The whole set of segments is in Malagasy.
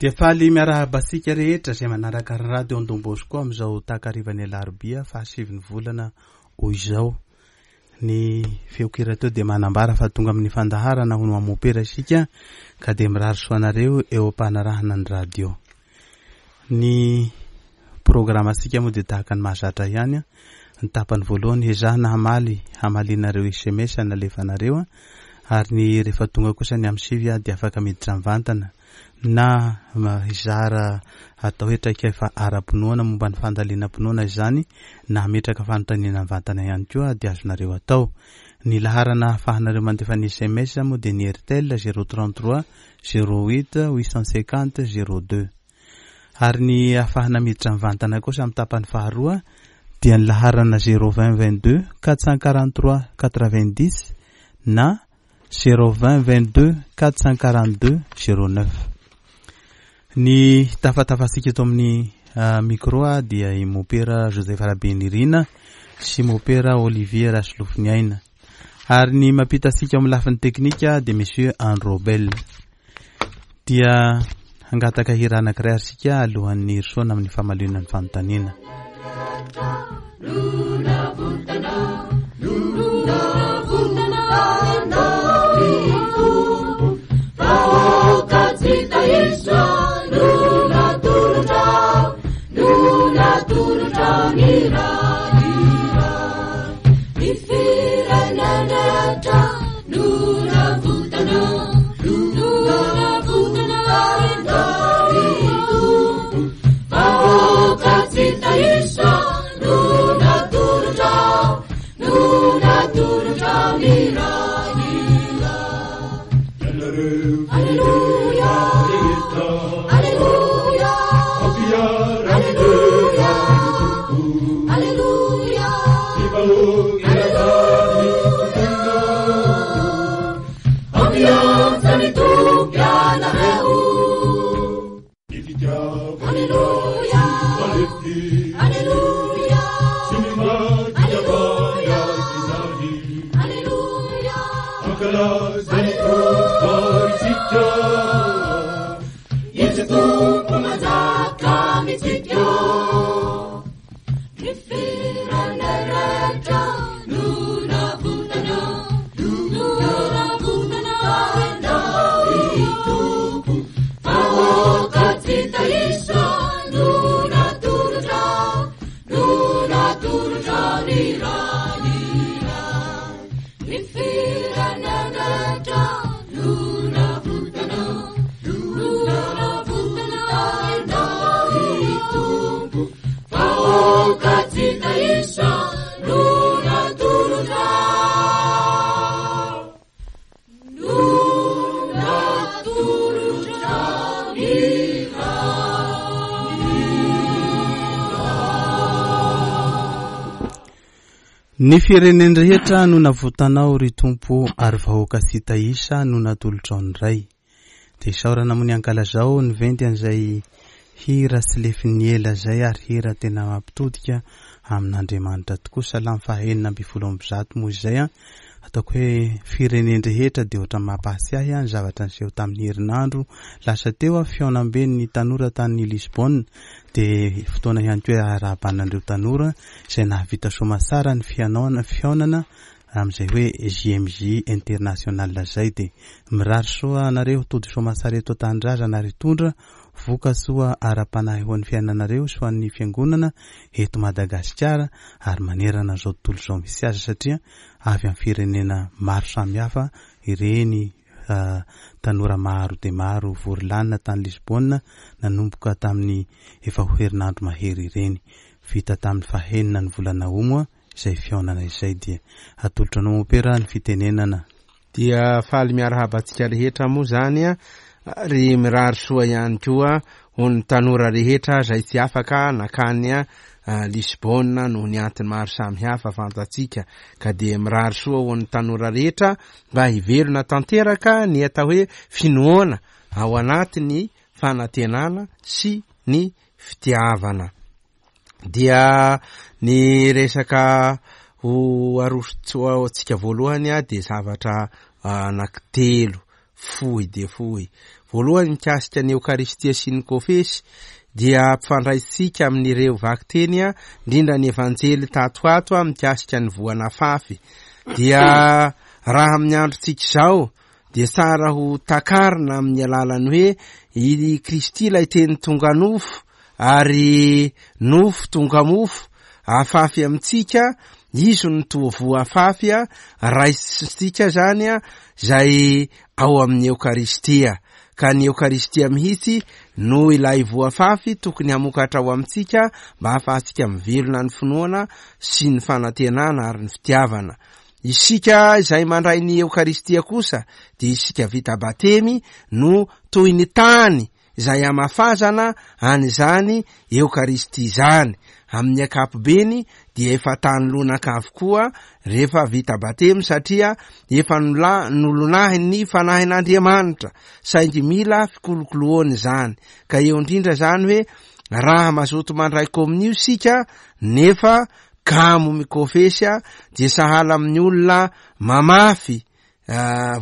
Dia faly miarahaba antsika rehetra izay manaraka ny Radio Don Bosco amin'izao takarivan'ny alarobia fahasivin'ny volana ho izao. Ny feon-kira teo dia manambara fa tonga amin'ny fandaharana hono amopera isika ka dia mirary soa anareo eo am-panarahana ny radio. Ny programantsika moa dia tahaka ny mahazatra ihany. Ny tapany voalohany ezahana hamaly hamalianareo sms nalefanareo ary ny rehefa tonga kosa ny amin'ny 9 dia afaka miditra mivantana na hizara atao hoe traikefa ara-pinoana momba ny fandalinam-pinoana izany na hametraka fanontaniana mivantana ihany koa dia azonareo atao. Ny laharana ahafahanareo mandefa ny sms moa dia ny Airtel 033 08 850 02. Ary ny ahafahana miditra mivantana kosa amin'ny tapany faharoa dia ny laharana 020 22 443 90 na 020 22 442 09. Ny tafatafantsika eto amin'ny micro dia i Mopera Joseph Rabenirina sy Mopera Olivier Rasolofoniaina. Ary ny mampita antsika amin'ny lafiny teknika dia Monsieur Androbel. Dia hangataka hira anankiray ary isika alohan'ny hirosoana amin'ny famaliana ny fanontaniana. Ny firenen-drehetra no navotanao, ry Tompo, ary vahoaka tsy hita isa no natolotrao ny Ray. Dia isaorana moa ny ankalazao niventy an'izay hira tsy lefin'ny ela izay ary hira tena mampitodika amin'Andriamanitra tokoa. Salamo faha 116 moa izay an. Ataoko hoe firenen-drehetra dia ohatran'ny mampahatsiahy ahy ny zavatra niseho tamin'ny herinandro lasa teo aho, fihaonamben'ny tanora tany Lisbonne. Dia fotoana ihany koa iarahabana an'ireo tanora izay nahavita soamatsara ny fihaonana amin'izay hoe JMJ International izay. Dia mirary soa anareo tody soamatsara eto an-tanindrazana ary hitondra voka-tsoa ara-panahy ho an'ny fiainanareo sy ho an'ny fiangonana eto Madagasikara ary manerana izao tontolo izao misy azy satria avy amin'ny firenena maro samihafa ireny tanora maro dia maro vory lanina tany Lisbonne nanomboka tamin'ny efa ho herinandro mahery ireny. Vita tamin'ny fahenina ny volana août moa izay fihaonana izay dia atolotra anao mompera ny fitenenana. Dia faly miarahaba antsika rehetra moa izany ary mirary soa ihany koa ho ny tanora rehetra izay tsy afaka nakany Lisbonne noho ny antony maro samihafa fantatsika ka dia mirary soa ho an'ny tanora rehetra mba hivelona tanteraka ny atao hoe finoana ao anatin'ny fanantenana sy ny fitiavana. Dia ny resaka ho aroso antsika voalohany dia zavatra anankitelo. fohy dia fohy. Voalohany mikasika ny Eokaristia sy ny Kofesy dia ampifandraisintsika amin'ireo vakiteny indrindra ny Evanjely tato ato mikasika ny voa nafafy. Dia raha amin'ny androntsika izao dia tsara ho takarina amin'ny alalan'ny hoe i Kristy ilay teny tonga nofo ary nofo tonga mofo afafy amintsika, izy no toa voa afafy raisintsika zany izay ao amin'ny Eokaristia. Ka ny Eokaristia mihitsy no ilay voa afafy tokony hamokatra ao amintsika mba hahafahantsika mivelona ny finoana sy ny fanantenana ary ny fitiavana. Isika izay mandray ny Eokaristia kosa dia isika vita batemy no toy ny tany izay hamafazana an'izany Eokaristia izany. Amin'ny ankapobeny dia efa tany lonaka avokoa rehefa vita batemy satria efa nolonahin'ny Fanahin'Andriamanitra, saingy mila fikolokoloana izany. Ka eo indrindra izany hoe raha mazoto mandray kominio isika nefa kamo mikofesy dia sahala amin'ny olona mamafy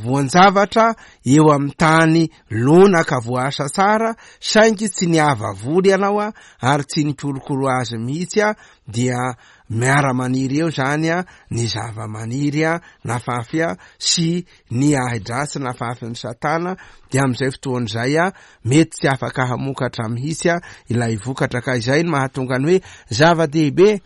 voan-javatra eo amin'ny tany lonaka voaasa tsara saingy tsy niava voly ianao a ary tsy nikolokolo azy mihitsy a dia miara-maniry eo zany a ny zava-maniry a nafafy a sy ny ahi-dratsy nafafin'ny satana dia amin'izay fotoana izay a mety tsy afaka hamokatra mihitsy a ilay vokatra ka izay no mahatonga ny hoe zava-dehibe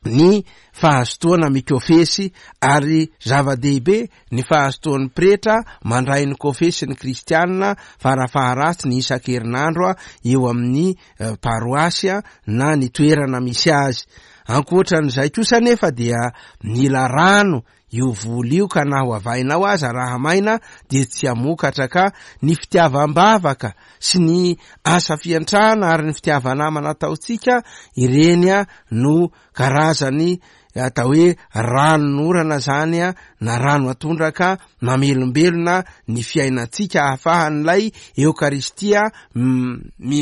ny fahazotoana mikofesy ary zava-dehibe ny fahazotoan'ny pretra mandray ny kofesy ny kristianina farafaharatsiny isan-kerinandro eo amin'ny paroasy na ny toerana misy azy. Ankoatran'izay kosa anefa dia mila rano io voly io ka na ho avainao aza raha maina dia tsy hamokatra ka ny fitiavam-bavaka sy ny asa fiantrana ary ny fitiava-namana ataontsika ireny no karazany atao hoe ranon'orana zany na rano atondraka mamelombelona ny fiainantsika ahafahan'ilay Eokaristia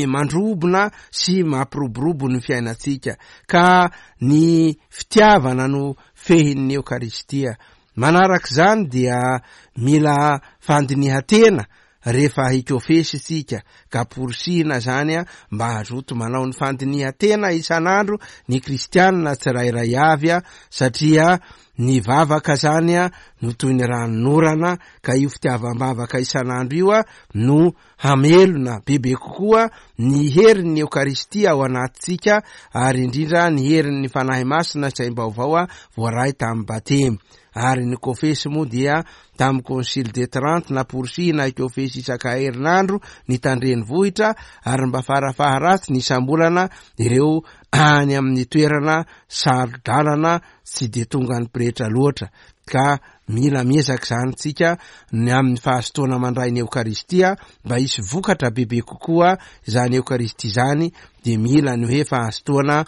mandrobona sy mampiroborobo ny fiainantsika ka ny fitiavana no fehin'ny Eokaristia. Manaraka izany dia mila fandinihan-tena rehefa hikofesy isika ka porisihina izany mba hazoto manao ny fandinihan-tena isan'andro ny kristianina tsirairay avy satria ny vavaka izany no toy ny ranonorana ka io fitiavam-bavaka isan'andro io no hamelona bebe kokoa ny herin'ny Eokaristia ao anatintsika ary indrindra ny herin'ny Fanahy Masina saim-baovao voaray tamin'ny Batemy. Ary ny Kofesy moa dia tamin'ny Concile de Trente namporisihina hikofesy isaka herinandro ny tandrenivohitra ary mba farafaharatsiny isam-bolana ireo any amin'ny toerana saro-dalana tsy dia tongan'ny pretra loatra ka Mila miezaka izany tsika ny amin'ny fahazotoana mandray ny Eokaristia mba hisy vokatra bebe kokoa izany Eokaristia izany dia mila ny hoe fahazotoana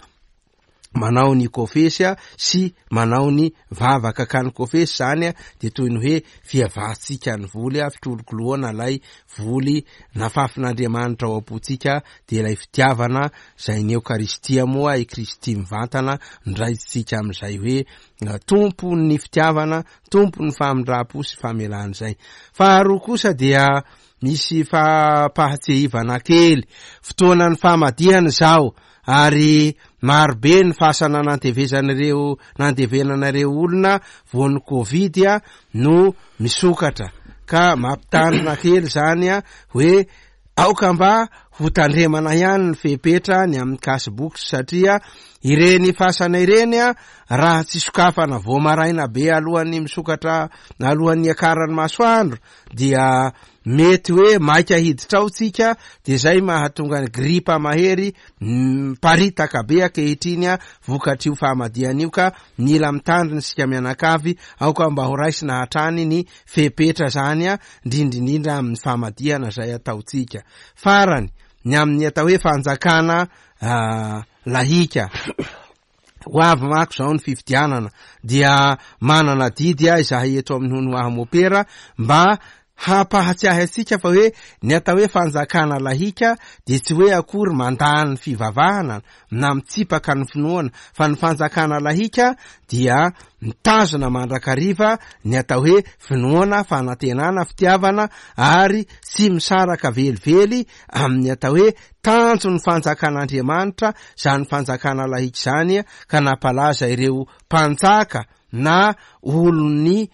manao ny kofesy sy manao ny vavaka ka ny kofesy izany dia toy ny hoe fiavahantsika ny voly fikolokoloana ilay voly nafafin'Andriamanitra ao am-pontsika dia ilay fitiavana izay ny Eokaristia moa i Kristy mivantana ndraisitsika amin'izay hoe Tompo ny fitiavana, Tompo ny famindram-po sy famelana izay. Faharoa kosa dia misy fampahatsiahivana kely, fotoanan'ny famadihana izao ary maro be ny fasana nantevezan'ireo nandevenana ireo olona voan'ny covid no misokatra ka mampitandrina kely izany hoe Aoka mba ho tandremana ihany ny fepetra ny amin'ny cash box satria ireny fasana ireny raha tsy sokafana vao maraina be alohan'ny misokatra alohan'ny hiakaran'ny masoandro dia mety hoe maika hiditra ao tsika dia zay mahatonga ny gripa mahery miparitaka be ankehitriny vokatr'io famadihana io ka mila mitandrina isika mianakavy aoka mba ho raisina hatrany ny fepetra zany indrindra indrindra amin'ny famadihana izay ataontsika. Farany, ny amin'ny atao hoe fanjakana lahika. Ho avy manko izao ny fifidianana dia manana adidy izahay eto amin'ny Hono Aho Mopera mba hampahatsiahy antsika fa hoe ny atao hoe fanjakana lahika dia tsy hoe akory mandà ny fivavahana na mitsipaka ny finoana fa ny fanjakana lahika dia mitazona mandrakariva ny atao hoe finoana, fanantenana, fitiavana ary tsy misaraka velively amin'ny atao hoe tanjon'ny fanjakan'Andriamanitra, izany fanjakana lahika izany ka nampalaza ireo mpanjaka na olon'ny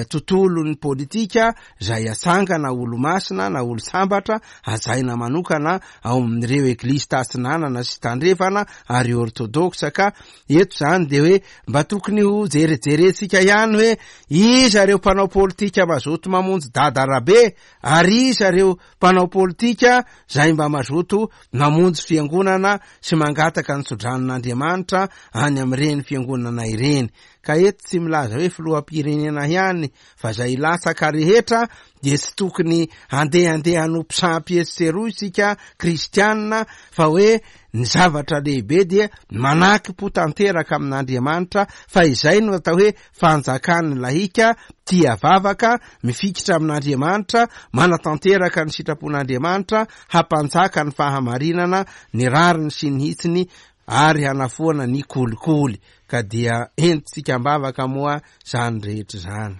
tontolon'ny politika izay atsangana olo-masina na olo-sambatra hajaina manokana ao amin'ireo eglizy tatsinanana sy tandrefana ary ortodoksa ka eto izany dia hoe mba tokony ho jerejerentsika ihany hoe iza ireo mpanao politika mazoto mamonjy dada rabe ary iza ireo mpanao politika izay mba mazoto mamonjy fiangonana sy mangataka ny tsodranon'Andriamanitra any amin'ireny fiangonana ireny. Ka eto tsy milaza hoe filoham-pirenena ihany fa izay latsaka rehetra dia tsy tokony handehandeha hanompo sampy etsy sy eroa isika kristianina fa hoe ny zavatra lehibe dia manakim-po tanteraka amin'Andriamanitra fa izay no atao hoe fanjakan'ny lahika tia vavaka, mifikitra amin'Andriamanitra, manatanteraka ny sitrapon'Andriamanitra, hampanjaka ny fahamarinana, ny rariny sy ny hitsiny ary hanafoana ny kolikoly. Ka dia entintsika am-bavaka moa izany rehetra izany.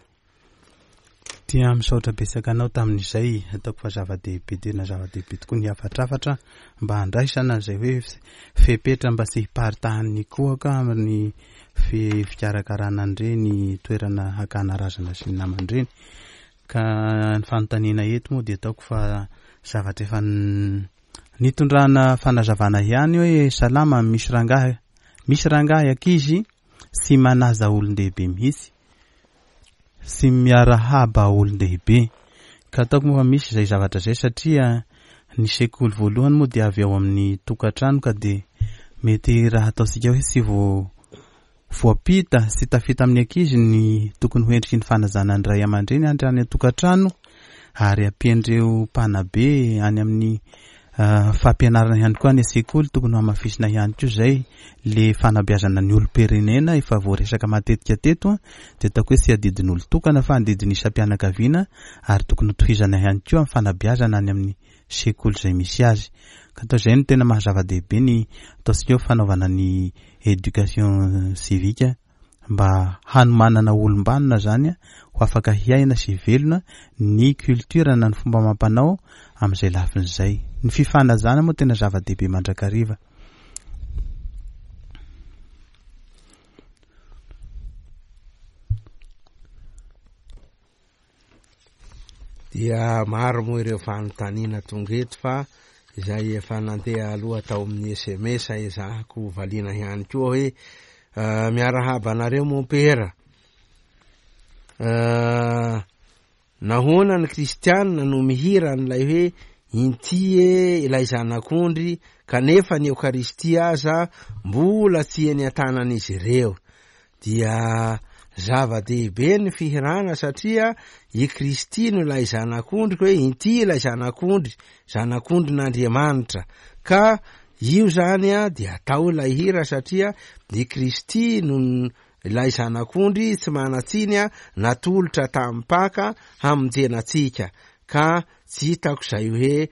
Dia misaotra betsaka anao tamin'izay, ataoko fa zava-dehibe tena zava-dehibe tokoa ny hafatrafatra mba handraisana izay hoe fepetra mba tsy hiparitahan'ny kohaka amin'ny fikarakarana an'ireny toerana hakana razana sy ny namany ireny. Ka ny fanontaniana eto moa dia ataoko fa zavatra efa nitondrana fanazavana ihany hoe salama misy rangahy misy rangahy ankizy tsy manaja olon-dehibe mihitsy, tsy miarahaba olon-dehibe. Ka ataoko moa fa misy izay zavatra izay satria ny sekoly voalohany moa dia avy ao amin'ny tokantrano ka dia mety raha ataontsika hoe tsy vo voampita sy tafita amin'ny ankizy ny tokony ho endriky ny fanajana ny ray aman-dreny any any an-tokantrano ary ampian'ireo mpanabe any amin'ny fampianarana ihany koa any an-tsekoly tokony ho hamafisina ihany koa izay le fanabeazana ny olom-pirenena efa voaresaka matetika teto dia ataoko hoe tsy adidin'olon-tokana fa adidin'ny isam-pianakaviana ary tokony ho tohizana ihany koa amin'ny fanabeazana any amin'ny sekoly izay misy azy ka atao izay no tena maha zava-dehibe ny ataontsika hoe fanaovana ny éducation civique mba hanomanana olom-banona zany ho afaka hiaina sy hivelona ny culture na ny fomba amam-panao amin'izay lafiny izay. Ny fifanajana moa tena zava-dehibe mandrakariva. Dia maro moa ireo fanontaniana tonga eto fa izay efa nandeha aloha tao amin'ny sms ezahako valiana ihany koa hoe ah, miarahaba anareo mompera. Ah, nahoana ny kristianina no mihira an'ilay hoe inty e ilay zanak'ondry kanefa ny eokaristia aza mbola tsy eny an-tanan'izy ireo. Dia zava-dehibe ny fihirana satria i Kristy no ilay Zanak'ondry hoe inty ilay Zanak'ondry, Zanak'ondrin'Andriamanitra. Ka io zany a dia atao ilay hira satria i Kristy no ilay Zanak'ondry tsy manan-tsiny a natolotra tamin'ny Paka hamonjena antsika. Ka tsy hitako izay hoe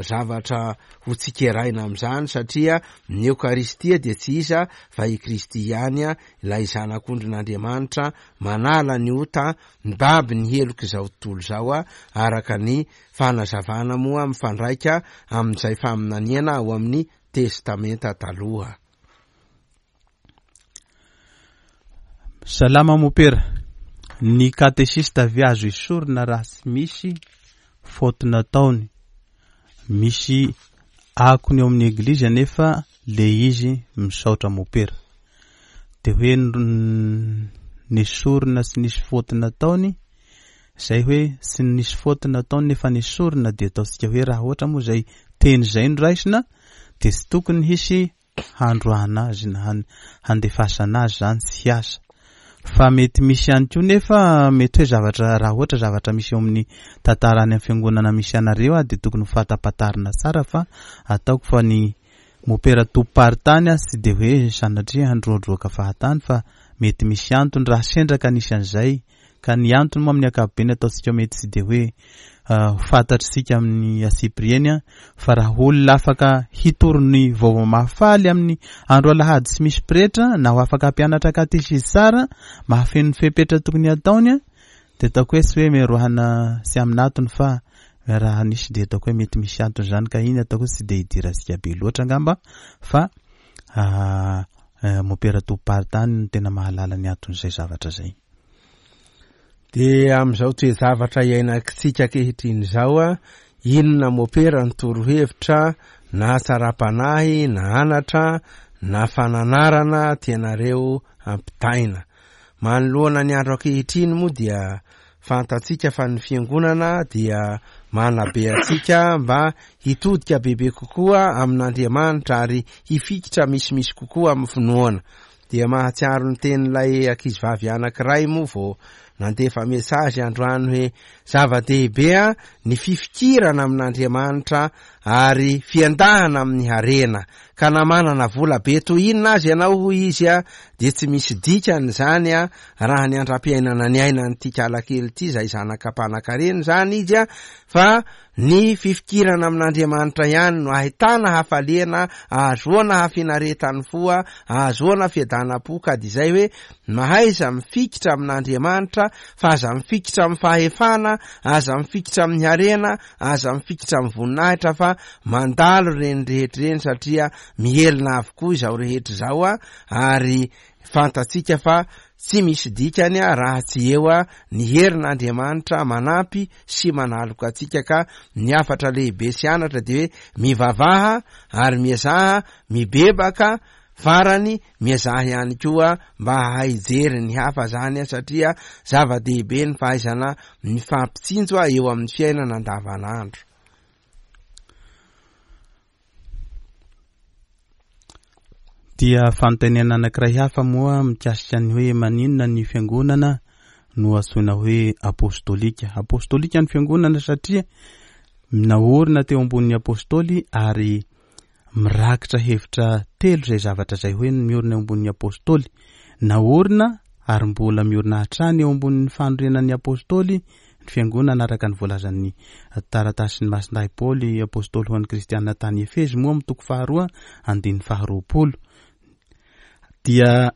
zavatra ho tsikeraina amin'izany satria ny Eokaristia dia tsy iza fa i Kristy ihany, ilay Zanak'ondrin'Andriamanitra manala ny ota, mibaby ny helok'izao tontolo izao, araka ny fanazavana moa mifandraika amin'izay faminaniana ao amin'ny Testamenta Taloha. Salama mopera, ny katesista ve azo esorina raha tsy misy faute nataony? Misy akony eo amin'ny eglizy anefa le izy misaotra mopera. De hoe nesorina tsy nisy faute nataony, zay hoe tsy nisy faute nataony nefa nesorina de ataontsika hoe raha ohatra moa zay teny zay no raisina de tsy tokony hisy handroahana azy na handefasana azy zany tsy hiasa fa mety misy ihany koa nefa mety hoe zavatra raha ohatra zavatra misy eo amin'ny tantara any amin'ny fiangonana misy anareo ah dia tokony ho fatapatarina tsara fa ataoko fa ny mopera tompom-paritany ah tsy dia hoe sanatria handroadroaka fahatany fa mety misy antony raha sendra ka nisy an'izay. Ka ny antony moa amin'ny ankapobeny ataontsika mety tsy dia hoe ho fantatr'isika amin'ny antsipiriany fa raha olona afaka hitory ny vaovao mahafaly amin'ny andro alahady tsy misy pretra na ho afaka hampianatra katesizy tsara mahafeno ny fepetra tokony hataony dia ataoko hoe tsy hoe miroahana tsy amin'antony fa raha nisy dia ataoko hoe mety misy antony izany ka iny ataoko hoe tsy dia hidirantsika be loatra angamba fa Mompera tompom-paritany no tena mahalala ny anton'izay zavatra izay. Dia amin'izao toe-javatra iainantsika ankehitriny izao, inona mopera ny torohevitra na hatsaram-panahy na anatra na fananarana tianareo hampitaina? Manoloana ny andro ankehitriny moa dia fantatsika fa ny fiangonana dia manabe antsika mba hitodika bebe kokoa amin'Andriamanitra ary hifikitra misimisy kokoa amin'ny finoana. Dia mahatsiaro ny tenin'ilay ankizivavy anankiray moa vao nandefa message androany hoe zava-dehibe ny fifikirana amin'Andriamanitra ary fiendahana amin'ny harena ka na manana vola be toy inona aza ianao hoy izy dia tsy misy dikany izany raha ny andram-piainana niainan'ity kalakely ity izay zanaka mpanankarena izany izy fa Ny fifikirana amin'Andriamanitra ihany no ahitana hafaliana, ahazoana hafinaretan'ny fo, ahazoana fiadanam-po ka dia izay hoe mahaiza mifikitra amin'Andriamanitra fa aza mifikitra amin'ny fahefana, aza mifikitra amin'ny harena, aza mifikitra amin'ny voninahitra fa mandalo ireny rehetra ireny satria mihelina avokoa izao rehetra izao ary fantatsika fa tsy misy dikany raha tsy eo ny herin'Andriamanitra manampy sy manaloka antsika ka ny hafatra lehibe sy anatra dia hoe mivavaha ary miezaha mibebaka farany miezaha ihany koa mba hahay hijery ny hafa zany satria zava-dehibe ny fahaizana mifampitsinjo eo amin'ny fiainana andavanandro. Dia fanontaniana anankiray hafa moa mikasika ny hoe maninona ny fiangonana no antsoina hoe apostolika. Apostolika ny fiangonana satria naorina teo ambonin'ny apostoly ary mirakitra hevitra telo izay zavatra izay hoe miorina eo ambonin'ny apostoly. Naorina ary mbola miorina hatrany eo ambonin'ny fanorenan'ny apostoly ny fiangonana araka ny voalazan'ny taratasin'i Masindahy Paoly apostoly ho an'ny kristiana tany Efezy moa amin'ny toko faharoa andininy faharoapolo dia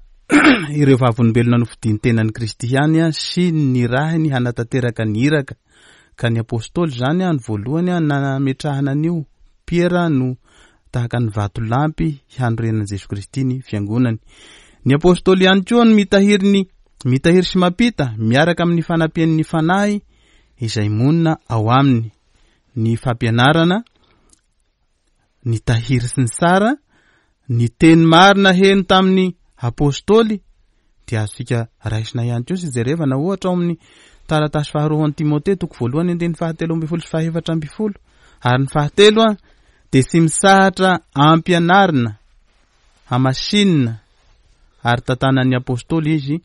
ireo vavolombelona nofidin'ny tenan'i Kristy ihany sy nirahiny hanatanteraka ny iraka ka ny apostoly izany ny voalohany nametrahana an'io Piera no tahaka ny vatolampy hanorenan'i Jesoa Kristy ny fiangonany. Ny apostoly ihany koa no mitahiry ny mitahiry sy mampita miaraka amin'ny fanampian'ny Fanahy izay monina ao aminy ny fampianarana, ny tahiry sy ny sara, ny teny marina heno tamin'ny apostoly dia azontsika raisina ihany koa sy jerevana ohatra ao amin'ny taratasy faharoa ho an'i Timothée toko voalohany andininy fahatelo ambin'ny folo sy fahefatra ambin'ny folo ary ny fahatelo a dia tsy misahatra ampianarina hamasinina ary tantanan'ny apostoly izy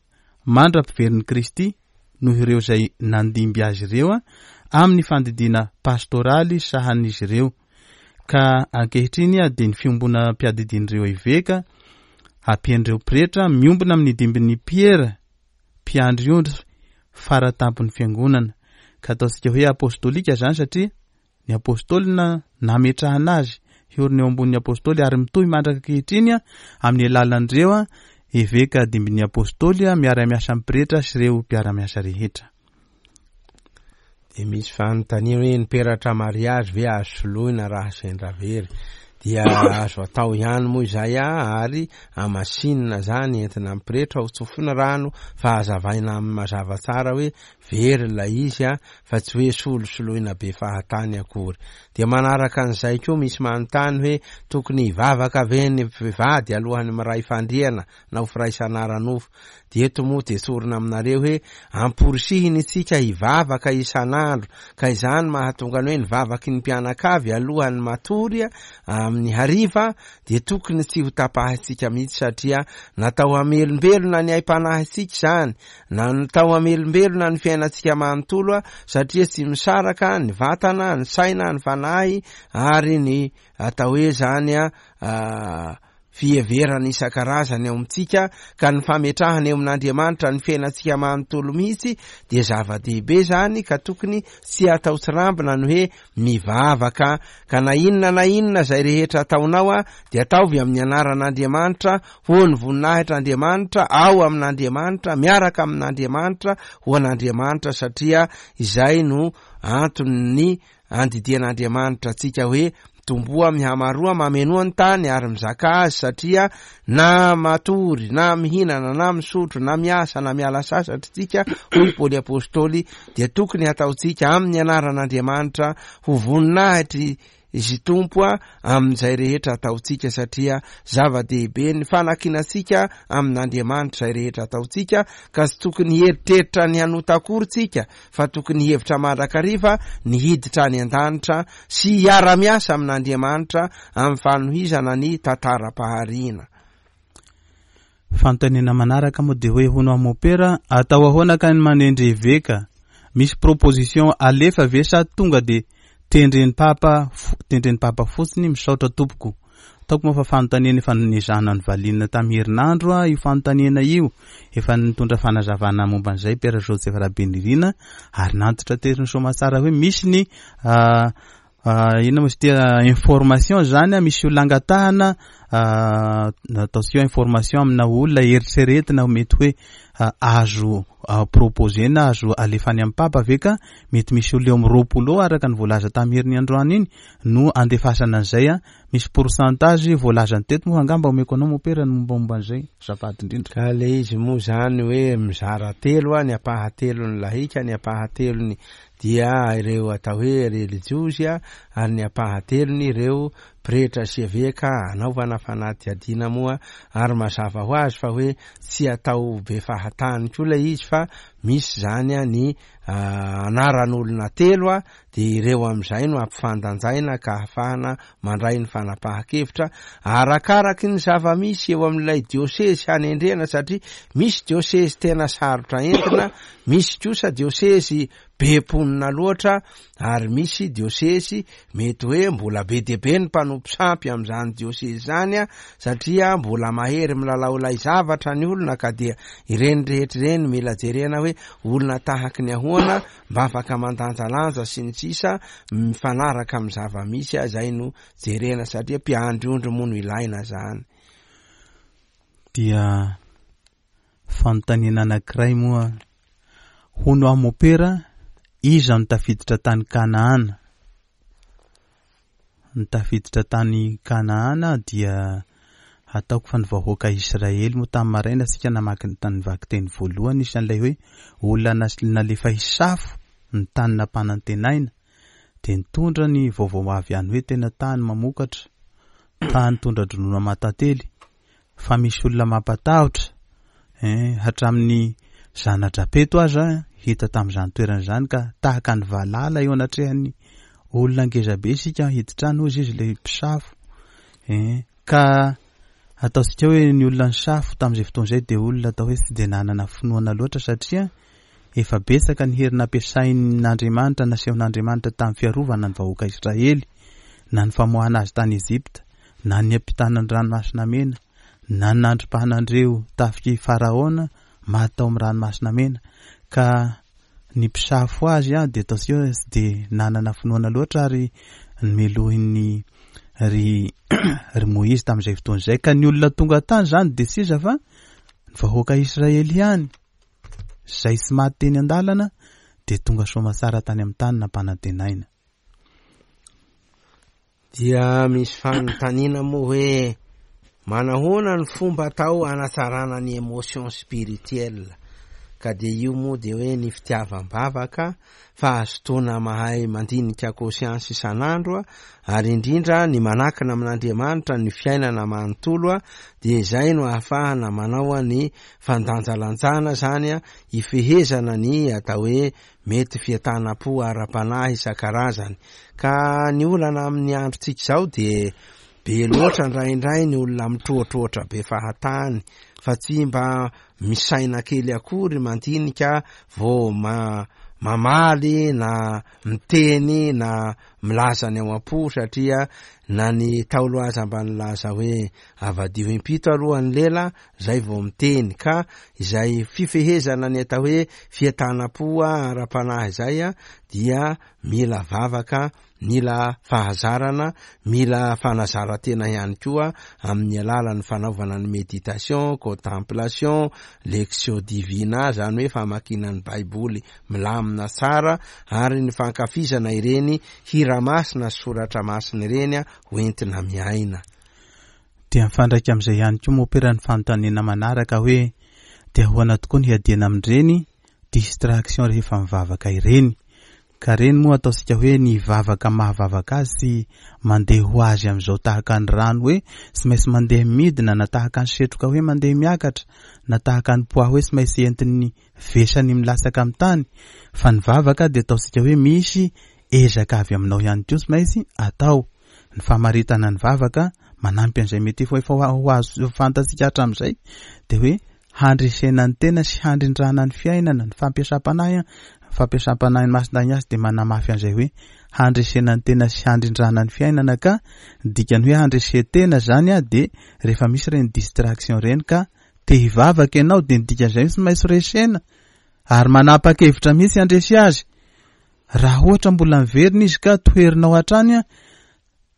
mandra-piverin'i Kristy noho ireo izay nandimby azy ireo amin'ny fandidiana pastoraly sahanin'izy ireo Ka ankehitriny dia ny fiombonam-piadidian'ireo eveka, ampian'ireo pretra, miombona amin'ny dimbin'i Piera, mpiandry ondry fara tampon'ny fiangonana. Ka ataontsika hoe apostolika izany satria ny apostoly na nametrahana azy hiorina eo ambonin'ny apostoly ary mitohy mandraka ankehitriny amin'ny alalan'ireo eveka dimbin'ny apostoly miara-miasa amin'ny pretra sy ireo mpiara-miasa rehetra. Dia misy fanontaniana hoe ny peratra mariazy ve azo soloina raha sendra very? Dia azo atao ihany moa izay a, ary amasinina zany entina amin'ny pretra ho tsofina rano fa hazavaina aminy mazava tsara hoe very ilay izy a, fa tsy hoe solosoloina be fahatany akory. Dia manaraka an'izay koa misy manontany hoe tokony hivavaka ve ny mpivady alohan'ny miray fandriana na ho firaisana ara-nofo. Dia eto moa dia tsorina aminareo hoe amporisihina isika hivavaka isan'andro, ka izany mahatonga ny hoe ny vavaky ny mpianakavy alohan'ny matory amin'ny hariva dia tokony tsy ho tapahintsika mihitsy satria natao hamelombelona ny aim-panahintsika izany, natao hamelombelona ny fiainantsika manontolo satria tsy misaraka ny vatana, ny saina, ny fanahy ary ny atao hoe izany. fiheverana isan-karazany ao amintsika ka ny fametrahana eo amin'Andriamanitra ny fiainantsika manontolo mihitsy dia zava-dehibe izany ka tokony tsy atao tsirambina ny hoe mivavaka ka na inona na inona izay rehetra ataonao a dia ataovy amin'ny anaran'Andriamanitra ho ny voninahitr'Andriamanitra ao amin'Andriamanitra miaraka amin'Andriamanitra ho an'Andriamanitra satria izay no anton'ny andidian'Andriamanitra antsika hoe mitomboa mihamaroa mamenoa ny tany ary mizaka azy satria na matory na mihinana na misotro na miasa na miala sasatra tsika hoy Paoly Apostoly dia tokony hataontsika amin'ny anaran'Andriamanitra ho voninahitry Izy Tompo a amin'izay rehetra ataontsika satria zava-dehibe ny fanakinantsika amin'Andriamanitra izay rehetra ataontsika ka tsy tokony hieritreritra ny hanota akory tsika fa tokony hihevitra mandrakariva ny hiditra any an-danitra sy hiara-miasa amin'Andriamanitra amin'ny fanohizana ny tantaram-pahariana. Fanontaniana manaraka moa dia hoe hono aho mopera, atao ahoana kay ny manendry eveka? Misy proposition alefa ve sa tonga dia tendren'i papa tendren'i papa fotsiny? Misaotra tompoko. Ataoko moa fa fanontaniana efa nezahana novaliana tamin'ny herinandro io fanontaniana io. Efa nitondra fanazavana momba an'izay Père Joseph Rabenirina ary nantitra tery ny soamatsara hoe misy ny inona moa izy ity information zany misy olona angatahana ataontsika hoe information amina olona eritreretina mety hoe azo proposer-na azo alefa any amin'ny papa ve ka mety misy olona eo amin'ny 20 eo araka ny voalaza tamin'ny heriny androany iny no andefasana an'izay a misy pourcentage voalazany teto moa angamba omeko anao mopera ny mombamomba an'izay azafady indrindra. Ka le izy moa zany hoe mizara telo a, ny ampahatelony lahika, ny ampahatelony dia ireo atao hoe relijiozy ary ny ampahatelony ireo pretra sy eveka anaovana fanadihadiana moa ary mazava ho azy fa hoe tsy atao be fahatany koa ilay izy fa misy zany ny anaran'olona telo dia ireo amin'izay no ampifandanjaina ka ahafahana mandray ny fanapahan-kevitra arakaraky ny zava-misy eo amin'ilay diosezy hanendrena satria misy diosezy tena sarotra entina, misy kosa diosezy be mponina loatra ary misy diosezy mety hoe mbola be dia be ny mpanompo sampy amin'izany diosezy izany satria mbola mahery milalao ilay zavatra ny olona ka dia ireny rehetra ireny mila jerena hoe olona tahaky ny ahoana mba afaka mandanjalanja sy ny sisa mifanaraka amin'ny zava-misy izay no jerena satria mpiandry ondry moa no ilaina zany. Dia fanontaniana anankiray moa, hono aho mopera, iza no tafiditra tany Kanaana? Ny tafiditra tany Kanaana dia ataoko fa ny vahoaka Israely moa tamin'ny maraina isika namaky ny tany vakiteny voalohany isan'ilay hoe olona nalefa hisafo ny tany nampanantenaina dia nitondra ny vaovao avy any hoe tena tany mamokatra, tany tondra-dronono aman-tantely. fa misy olona mampatahotra eh, hatramin'ny zana-dRapeto aza hita tamin'izany toerana izany ka tahaka ny valala eo anatrehan'ny olona ngezabe isika hiditra any hozy izy ilay mpisafo eh, ka ataontsika hoe ny olona nisafo tamin'izay fotoana izay dia olona atao hoe tsy dia nanana finoana loatra satria efa betsaka ny hery nampiasain'Andriamanitra nasehon'Andriamanitra tamin'ny fiarovana ny vahoaka Israely na ny famoahana azy tany Egypta na ny niampitana ny Ranomasina Mena, na ny nandripahana an'ireo tafik'i Faraona maty tao amin'ny Ranomasina Mena, ka ny mpisafo azy dia ataontsika hoe tsy dia nanana finoana loatra ary nomelohin'ny ry ry Moizy tamin'izay fotoana izay, ka ny olona tonga tany izany dia tsy iza fa ny vahoaka Israely ihany, izay tsy maty teny an-dalana dia tonga soamatsara tany amin'ny tany nampanantenaina. Dia misy fanontaniana moa hoe manahoana ny fomba atao hanatsarana ny emotion spirituelle? Ka dia io moa dia hoe ny fitiavam-bavaka, fahazotoana mahay mandinika conscience isan'andro ary indrindra ny manakina amin'Andriamanitra ny fiainana manontolo dia izay no ahafahana manao ny fandanjalanjana izany hifehezana ny atao hoe Mety fientanam-po ara-panahy isan-karazany. Ka ny olana amin'ny androntsika izao dia be loatra indraindray ny olona mitroatroatra be fahatany fa tsy mba misaina kely akory mandinika vao mamaly na miteny na milaza ny ao am-po satria na ny Ntaolo aza mba nilaza hoe avadiho impito aloha ny lela zay vao miteny ka izay fifehezana ny atao hoe fientanam-po ara-panahy izay dia mila vavaka Mila fahazarana, mila fanazaran-tena ihany koa amin'ny alalan'ny fanaovana ny méditation, contemplation, lectio divina, izany hoe famakiana ny baiboly milamina tsara ary ny fankafizana ireny hira masina sy soratra masina ireny ho entina miaina. Dia mifandraika amin'izay ihany koa mopera ny fanontaniana manaraka hoe dia ahoana tokoa ny hiadiana amin'ireny distraction rehefa mivavaka ireny? Ka reny moa ataontsika hoe ny vavaka mahavavaka azy tsy mandeha ho azy amin'izao tahaka ny rano hoe tsy maintsy mandeha midina na tahaka ny setroka hoe mandeha miakatra na tahaka ny poids hoe tsy maintsy entin'ny vesany milatsaka amin'ny tany fa ny vavaka dia ataontsika hoe misy ezaka avy aminao ihany koa tsy maintsy atao. Ny famaritana ny vavaka manampy an'izay mety efa efa ho azo fantatsika hatramin'izay dia hoe handresena ny tena sy handrindrana ny fiainana, ny fampiasam-panahy, ny fampiasam-panahin'i Masindahy Ignace dia manamafy an'izay hoe handresena ny tena sy handrindrana ny fiainana ka ny dikan'ny hoe handresen-tena zany dia rehefa misy ireny distraction ireny ka te hivavaka ianao dia ny dikan'izay tsy maintsy resena ary manapa-kevitra mihitsy handresy azy. Raha ohatra mbola miverina izy ka toherinao hatrany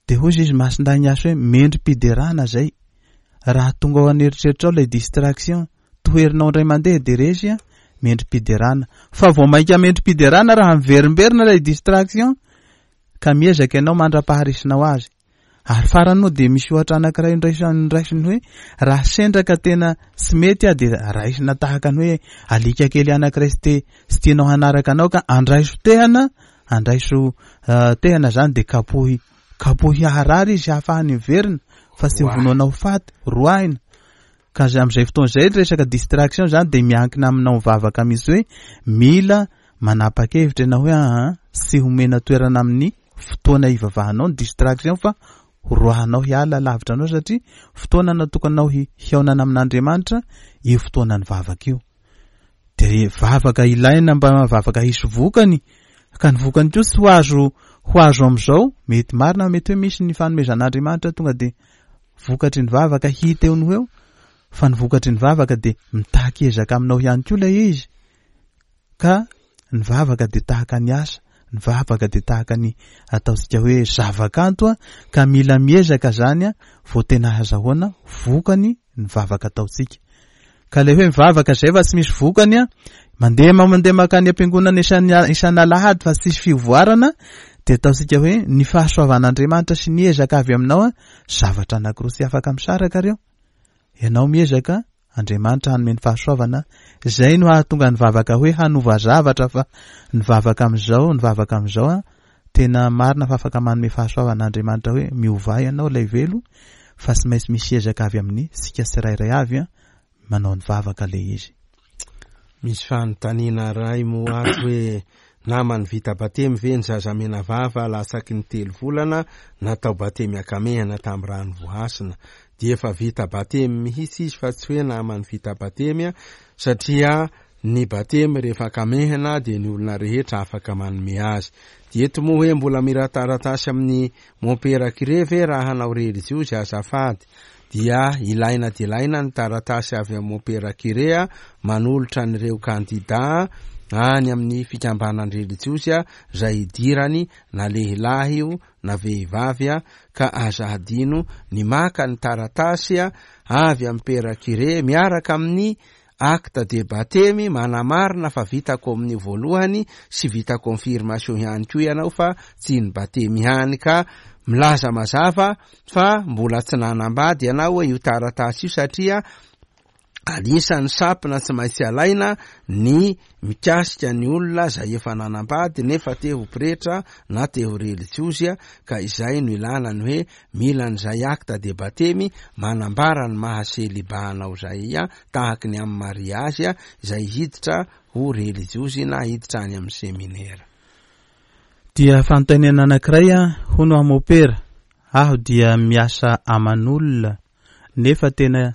Dia hoy izy Masindahy Ignace hoe mendri-piderana zay. Raha tonga ao an'eritreritrao ilay distraction, toherinao indray mandeha dia resy an, mendri-piderana. Fa vao mainka mendri-piderana raha miverimberina ilay distraction ka miezaka ianao mandra-paharisinao azy. Ary farany moa dia misy ohatra anankiray noraisiny hoe raha sendra ka tena tsy mety aho dia raisina tahaka ny hoe alika kely anankiray tsy te tsy tianao hanaraka anao ka andraiso tehana Andraiso tehana zany de kapohy kapohy haharary izy hahafahany miverina fa tsy hovonoana ho faty, roahina. Ka zay am'izay fotoana izay ny resaka distraction zany de miankina aminao mivavaka mihitsy hoe mila manapa-kevitra ianao hoe aa tsy homena toerana amin'ny fotoana hivavahanao ny distraction fa horoahanao hiala lavitra anao satria fotoana natokanao hihaonana amin'Andriamanitra io fotoanan'ny vavaka io. Dia vavaka ilaina mba vavaka hisy vokany, ka ny vokany koa tsy ho azo ho azo amin'izao, mety marina mety hoe misy ny fanomezan'Andriamanitra tonga dia vokatry ny vavaka hita eo no ho eo, fa ny vokatry ny vavaka dia mitaky ezaka aminao ihany koa ilay izy, ka ny vavaka dia tahaka ny asa, ny vavaka dia tahaka ny ataontsika hoe zavakanto ka mila miezaka zany vao tena ahazahoana vokany ny vavaka ataontsika. Ka ilay hoe mivavaka izay fa tsy misy vokany an, mandeha mandeha mankany am-piangonana isan isan'alahady fa tsisy fivoarana, dia ataontsika hoe ny fahasoavan'Andriamanitra sy ny ezaka avy aminao an, zavatra anankiroa tsy afaka misaraka ireo. Ianao miezaka, Andriamanitra hanome ny fahasoavana, izay no hahatonga ny vavaka hoe hanova zavatra fa ny vavaka amin'izao, ny vavaka amin'izao an, Tena marina fa afaka manome fahasoavana Andriamanitra hoe miovà ianao ilay velo fa tsy maintsy misy ezaka avy amin'ny sika tsirairay avy manao ny vavaka le izy. Misy fanontaniana iray moa ato hoe naman'ny vita batemy ve ny zaza menavava latsaky ny telo volana natao batemy ankamehana tamin'ny rano voahasina? Dia efa vita batemy mihitsy izy fa tsy hoe naman'ny vita batemy satria Ny batemy rehefa akamehana dia ny olona rehetra afaka manome azy. Dia eto moa hoe mbola mila taratasy amin'ny mompera kire ve raha hanao relijiozy azafady? Dia ilaina dia ilaina ny taratasy avy amin'ny mompera kire manolotra an'ireo kandida any amin'ny fikambanan-drelijiozy izay hidirany na lehilahy io na vehivavy ka aza hadino ny maka ny taratasy avy amin'ny pera kire miaraka amin'ny Acte de batemy manamarina fa vita communio voalohany sy vita confirmation ihany koa ianao fa tsy ny batemy ihany ka milaza mazava fa mbola tsy nanambady ianao io taratasy io satria anisan'ny sampona tsy maintsy alaina ny mikasika ny olona zay efa nanambady nefa te ho pretra na te ho relijiozy ka izay no ilana ny hoe Mila an'izay acte de batemy manambara ny maha celibat anao izay tahaky ny amin'ny mariage izay hiditra ho relijiozy na hiditra any amin'ny seminera. Dia fanontaniana anankiray an, hono aho mopera, aho dia miasa aman'olona nefa tena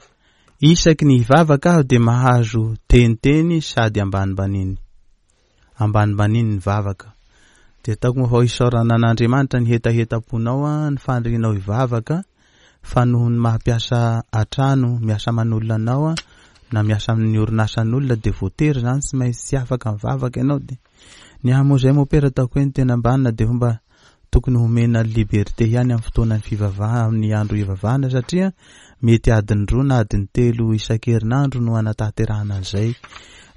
isaky ny hivavaka aho dia mahazo teniteny sady ambanimbaniny. Ambanimbaniny ny vavaka. Dia ataoko moa fa ho isaorana an'Andriamanitra ny hetahetam-ponao an, ny fanirianao hivavaka, fa noho ny maha mpiasa an-trano, miasa aman'olona anao an, na miasa amin'ny orinasan'olona dia voatery izany tsy maintsy tsy afaka mivavaka ianao dia ny ahy moa izay mopera ataoko hoe ny tena ambanina dia fomba tokony homena liberté ihany amin'ny fotoanan'ny fivavahana amin'ny andro hivavahana satria mety adiny roa na adiny telo isan-kerinandro no hanatanterahana an'izay.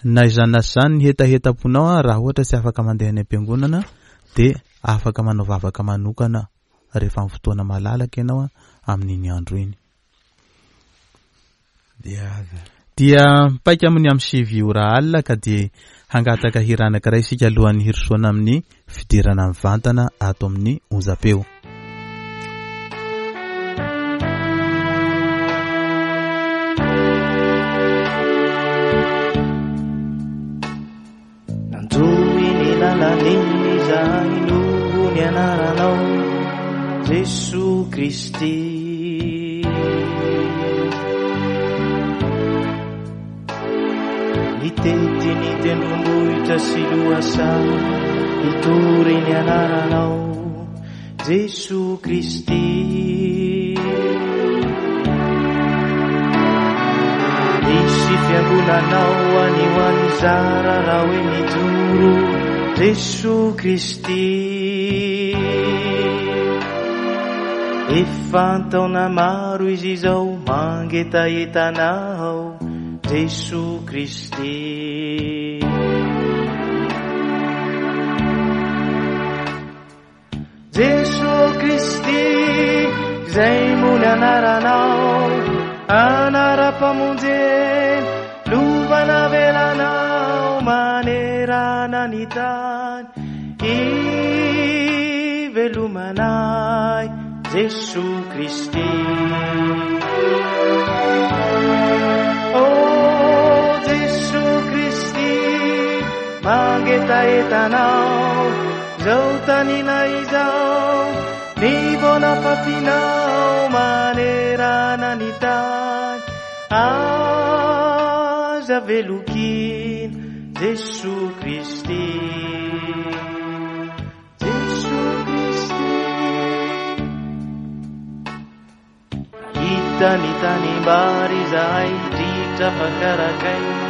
Na izany na tsy izany ny hetahetam-ponao an, raha ohatra tsy afaka mandeha any am-piangonana dia afaka manao vavaka manokana rehefa amin'ny fotoana malalaka ianao an, amin'iny andro iny. Dia mipaika amin'ny amin'ny sivy ora alina ka dia hangataka hira anankiray isika alohan'ny hirosoana amin'ny fidirana mivantana ato amin'ny onjam-peo. Nanjohy ny lalan'iny izahay noho ny anaranao Jesoa Kristy. Nitety ny tendrombohitra sy lohasaha hitory ny anaranao Jesoa Kristy. Misy fiangonanao any ho any zara raha hoe mijoro Jesoa Kristy. Efa an-taona maro izy izao mangetaheta anao Jesoa Kristy. Jesoa Kristy, izay moa ny anaranao, anaram-pamonjena, lova navelanao manerana ny tany, ivelomanay, Jesoa Kristy. Oh Jesoa Kristy, mangetaheta anao, Zao tanina izao, ny vao nafafinao manerana ny tany, aza velokina Jesoa Kristy. Jesoa Kristy. Nahita ny tanimbary izahay, ritra fa karakaina,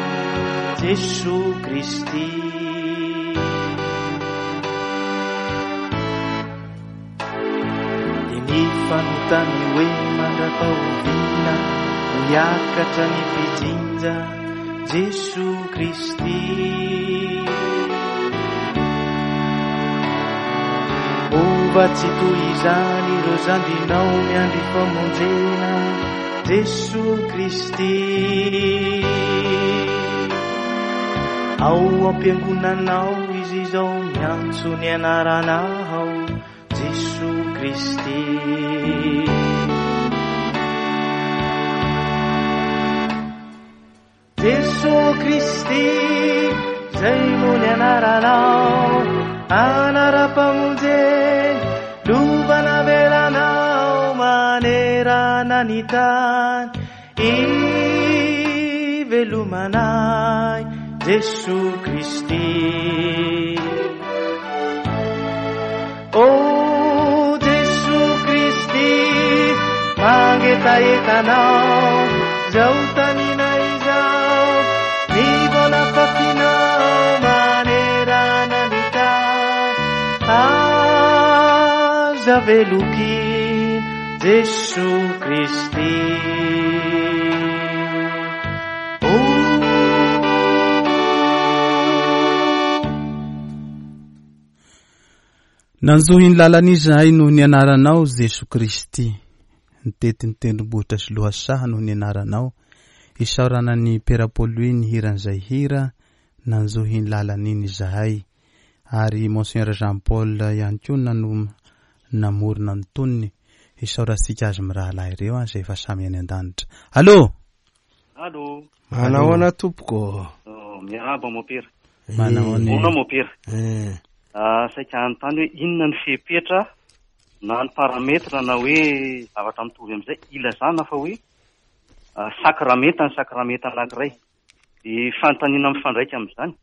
Jesoa Kristy. Dia nifanontany hoe mandra-pahoviana no hiakatra ny mpijinja, Jesoa Kristy. Mova tsy toy izany ireo zandrinao miandry famonjena, Jesoa Kristy. Ao am-piangonanao izy izao miantso ny anaranao, Jesoa Kristy. Jesoa Kristy, zay moa ny anaranao, anaram-pamonjena, lova navelanao manerana ny tany, ivelomanay, Jesoa Kristy. Oh Jesoa Kristy, mangetaheta anao, zao tanina izao, ny vao nafafinao manerana ny tany, aza velokina Jesoa Kristy. Nanjohy ny lalana izahay noho ny anaranao, Jesoa Kristy. Nitety ny tendrombohitra sy lohasaha noho ny anaranao. Isaorana an'i Pera Paul Louis nihira an'izay hira, Nanjohy ny lalana iny izahay. Ary Monseigneur Jean Paul ihany koa nano namorona ny tonony. Isaorantsika azy mirahalahy ireo izay efa samy any an-danitra. Allô! Allô. Manahoana tompoko? Oh, miarahaba mopera. Manahoana. Ahoana mopera? Eh. Ah, saika hanontany hoe inona ny fepetra na ny paramètre na hoe zavatra mitovy amin'izay ilazana fa hoe ah, sakramenta ny sakramenta anankiray. Dia fanontaniana mifandraika amin'izany.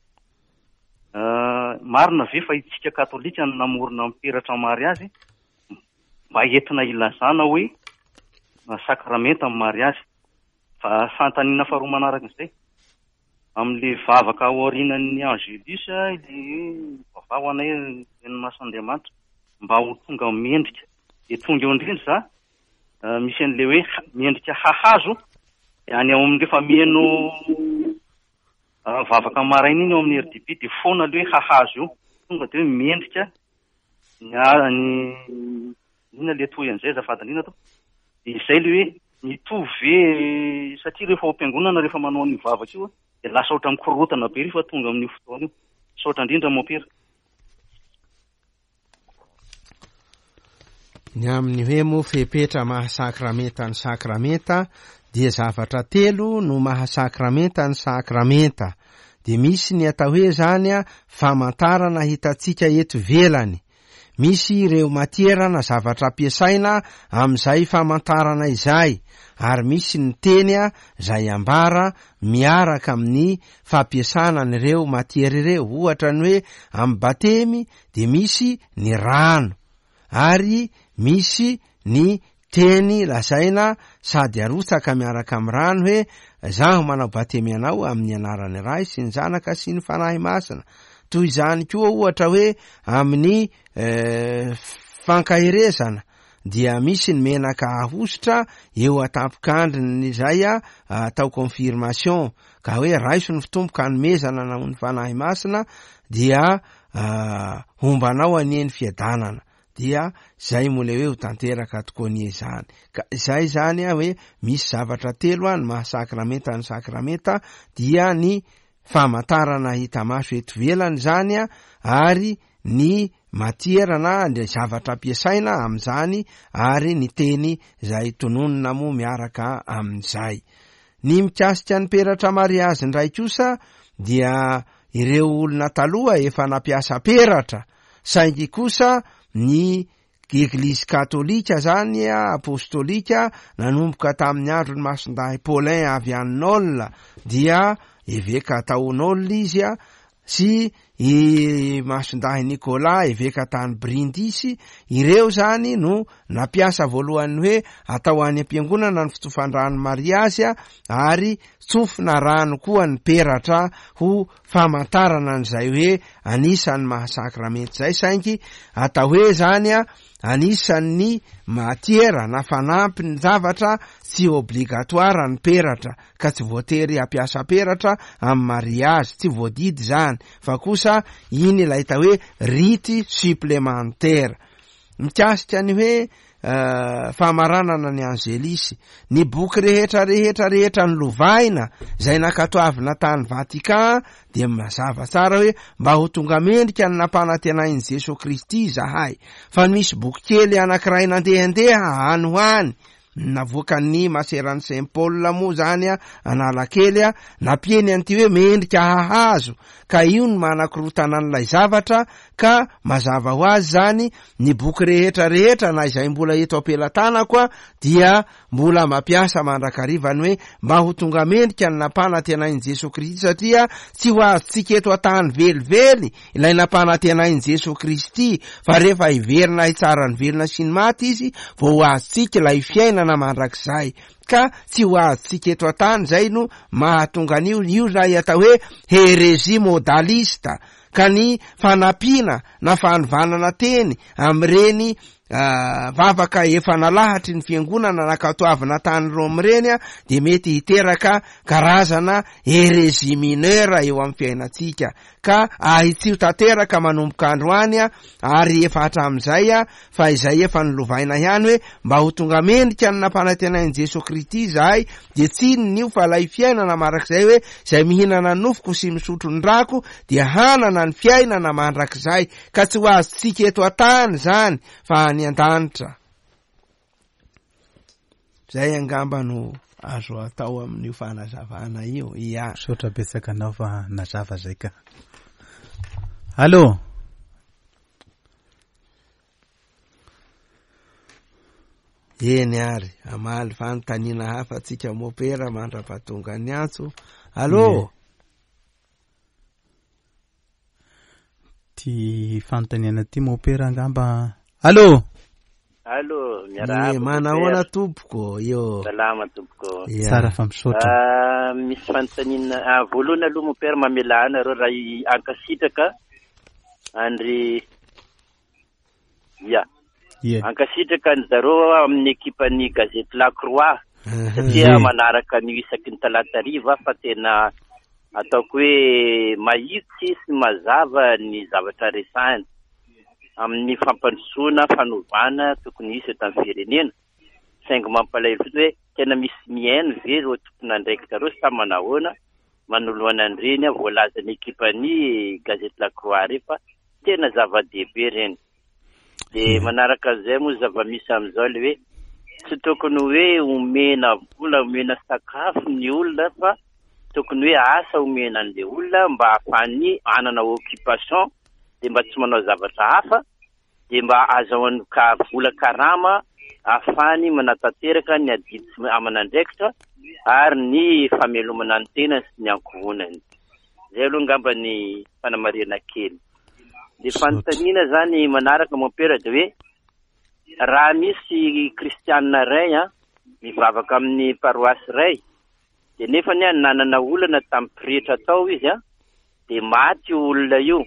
Ah, Marina ve fa itsika katolika no namorona ny peratra mariazy mba entina ilazana hoe sakramenta ny mariazy? Fa fanontaniana faharoa manaraka izay, amin'ilay vavaka ao aorianan'ny Angelus, ilay hoe mivavaha ho anay Reny Masin'Andriamanitra mba ho tonga mendrika. Dia tonga eo indrindra za, misy an'ilay hoe mendrika hahazo, dia any ao amin'ny rehefa miheno vavaka maraina iny ao amin'ny RDB dia foana ilay hoe hahazo io. Tonga dia hoe mendrika ny ny inona ilay toy an'izay azafady indrindra tompoko. Dia izay ilay hoe mitovy ve satria rehefa ao am-piangonana rehefa manao an'io vavaka io dia lasa ohatran'ny mikorontana be rehefa tonga amin'io fotoana io. Misaotra indrindra mompera. Ny amin'ny hoe moa fepetra maha sakramenta ny sakramenta dia zavatra telo no maha sakramenta ny sakramenta. Dia misy ny atao hoe zany a famantarana hitantsika eto ivelany. Misy ireo matiera na zavatra ampiasaina amin'izay famantarana izay ary misy ny teny izay ambara miaraka amin'ny fampiasana an'ireo matiera ireo. Ohatra ny hoe amin'ny batemy dia misy ny rano ary misy ny teny lazaina sady arotsaka miaraka amin'ny rano hoe zaho manao batemy anao amin'ny anaran'ny Ray sy ny Zanaka sy ny Fanahy Masina. Toy izany koa ohatra hoe amin'ny eh, fankaherezana dia misy ny menaka ahosotra eo an-tampon-kandrin'izay atao confirmation ka hoe raiso ny fitomboka hanomezana na ho ny Fanahy Masina dia homba anao anie ny fiadanana dia zay moa le hoe ho tanteraka tokoa anie izany ka izay zany a hoe misy zavatra telo a ny maha sakramenta ny sakramenta dia ny famantarana hita maso eto ivelany zany a ary ny matiera na ny zavatra ampiasaina amin'izany ary ny teny izay tononina moa miaraka amin'izay Ny mikasika ny peratra mariazy indray kosa dia ireo olona taloha efa nampiasa peratra saingy kosa ny Eglizy katolika zany apostolika nanomboka tamin'ny andron'i Masindahy Paulin avy any Nol dia eveka tao Nol izy sy i Masindahy Nicolas eveka tany Brindisi, ireo zany no nampiasa voalohany hoe atao any am-piangonana ny fitsofan-drano mariazy ary tsofina rano koa ny peratra ho famantarana an'izay hoe anisan'ny maha sakramenta izay, saingy atao hoe zany anisan'ny matiera na fanampiny zavatra tsy obligatoire ny peratra. ka tsy voatery hampiasa peratra amin'ny mariazy, tsy voadidy izany, fa kosa iny ilay atao hoe rite supplémentaire. Mikasika ny hoe famaranana ny Angelis, ny boky rehetra rehetra rehetra nolovaina izay nankatoavina tany Vatican dia mazava tsara hoe mba ho tonga mendrika ny nampanantenain'i Jesoa Kristy izahay, fa misy boky kely anankiray nandehandeha any ho any Navoakan'ny maseran'i Saint Paul moa zany Analakely nampieny an'ity hoe mendrika hahazo ka io no manakorotana an'ilay zavatra ka mazava ho azy zany ny boky rehetra rehetra na izay mbola eto am-pelatanako dia mbola mampiasa mandrakariva ny hoe mba ho tonga mendrika ny nampanantenain'i Jesoa Kristy satria tsy ho azontsika eto an-tany velively Ilay nampanantenain'i Jesoa Kristy fa rehefa hiverina hitsara ny velona sy ny maty Izy vao ho azontsika ilay fiainana mandrakizay. Ka tsy ho azontsika eto an-tany izay no mahatonga an'io, io ilay atao hoe hérésie modaliste, ka ny fanampiana na fanovanana teny amin'ireny vavaka efa nalahatry ny fiangonana nankatoavina tany Rome ireny dia mety hiteraka karazana hérésie mineure eo amin'ny fiainantsika. Ka ahitsio tanteraka manomboka androany ary efa hatramin'izay fa izay efa nolovaina ihany hoe mba ho tonga mendrika ny nampanantenain'i Jesoa Kristy izahay dia tsy inona io fa ilay fiainana marak'izay hoe izay mihinana ny nofoko sy misotro ny rako dia hanana ny fiainana mandrakizay ka tsy ho azontsika eto an-tany izany fa any an-danitra. Zay angamba no azo atao amin'io fanazavana io. Ia. Misaotra betsaka anao fa nazava zay ka. Allô. Eny ary, hamaly fanontaniana hafa tsika mopera mandra-pahatonga ny antso. Allô. Ty fanontaniana ty mopera angamba. Allô. Allô, miarahaba. Eh, manahoana tompoko io. Salama tompoko. Ya. Tsara fa misaotra. Ah, misy fanontaniana. Ah, voalohany aloha mopera mamelà anareo raha i- ankasitraka andry ya. Ie. Ankasitraka ny zareo amin'ny ekipan'ny gazety La Croix satria Ie. manaraka ny isaky ny talata hariva fa tena ataoko hoe mahitsy sy mazava ny zavatra resahiny amin'ny fampandrosoana fanovana tokony hisy eto amin'ny firenena. Saingy mampalahelo fotsiny hoe tena misy mihaino ve ireo tompon'andraikitra ireo sa manahoana manoloana an'ireny voalazan'ny ekipan'ny gazety La Croix ireny fa tena zava-dehibe ireny. Dia manaraka an'izay moa zava-misy amin'izao ilay hoe tsy tokony hoe omena vola, omena sakafo ny olona fa tokony hoe asa omena an'ilay olona mba ahafahany hanana occupation dia mba tsy manao zavatra hafa dia mba azahoany ka vola karama ahafahany manatanteraka ny adidy sy aman'andraikitra ary ny famelomana ny tenany sy ny ankohonany. Izay aloha angamba ny fanamarihana kely. Dia fanontaniana zany manaraka mompera dia hoe raha misy kristianina iray an mivavaka amin'ny paroasy iray dia nefany an nanana olana tamin'ny pretra tao izy an dia maty io olona io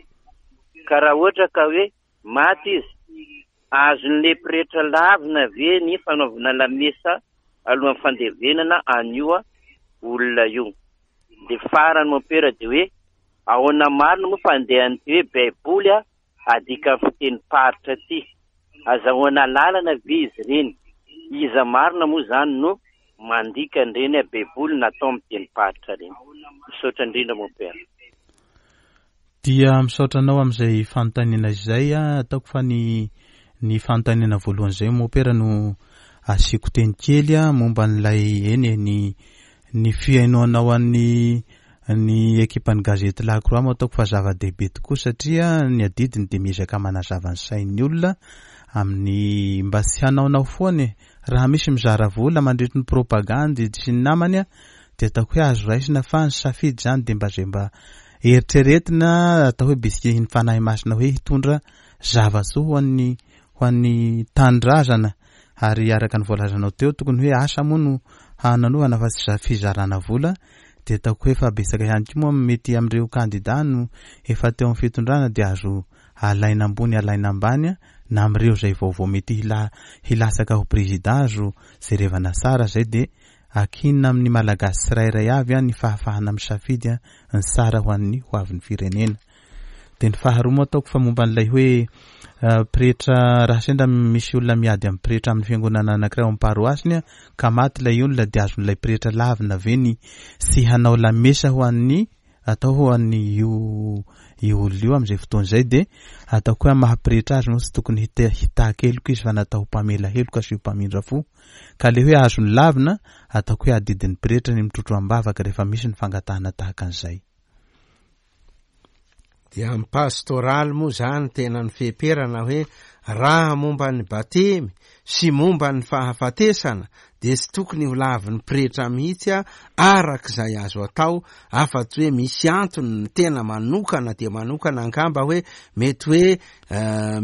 ka raha ohatra ka hoe maty izy azon'ilay pretra lavina ve ny fanaovana lamesa alohan'ny fandevenana an'io olona io. Dia farany mompera dia hoe ahoana marina moa fandehan'ity hoe baiboly a adika amin'ny fitenim-paritra ity? Azahoana lalana ve izy ireny? Iza marina moa izany no mandika an'ireny baiboly natao amin'ny tenim-paritra ireny? Misaotra indrindra mompera. Dia misaotra anao amin'izay fanontaniana izay. Ataoko fa ny ny fanontaniana voalohany izay mopera no asiako teny kely momba an'ilay eny e ny ny fihainoanao an'ny ny ekipan'ny gazety La Croix moa ataoko fa zava-dehibe tokoa satria ny adidiny dia miezaka manazava ny sain'ny olona amin'ny mba tsy hanaonao foana e. Raha misy mizara vola mandritry ny propagandy sy ny namany dia ataoko hoe azo raisina fa ny safidy izany dia mba izay mba eritreretina atao hoe bisikihin'ny Fanahy Masina hoe hitondra zava-tsoa ho an'ny ho an'ny tanindrazana ary araka ny voalazanao teo tokony hoe asa moa no hananovana fa tsy fizarana vola dia ataoko hoe efa betsaka ihany koa moa mety amin'ireo kandida no efa teo amin'ny fitondrana dia azo alaina ambony alaina ambany na amin'ireo izay vaovao mety hila hilatsaka ho prezida azo jerevana tsara izay dia Akinina amin'ny Malagasy tsirairay avy ny fahafahana misafidy ny tsara ho an'ny ho avin'ny firenena. Dia ny faharoa moa ataoko fa momba an'ilay hoe pretra raha sendra misy olona miady amin'ny pretra amin'ny fiangonana anankiray ao amin'ny paroasiny ka maty ilay olona dia azon'ilay pretra lavina ve ny tsy hanao lamesa ho an'ny atao ho an'ny io io olona io amin'izay fotoana izay dia ataoko hoe amin'ny maha pretra azy moa tsy tokony hitaky heloka izy fa natao ho mpamela heloka sy ho mpamindra fo. Ka le hoe azony lavina, ataoko hoe adidin'ny pretra ny mitrotro am-bavaka rehefa misy ny fangatahana tahaka an'izay. Dia amin'ny pastoraly moa izany tena ny feperana hoe raha momba ny batemy sy momba ny fahafatesana dia tsy tokony ho lavin'ny pretra mihitsy araka izay azo atao afa-tsy hoe misy antony ny tena manokana dia manokana angamba hoe mety hoe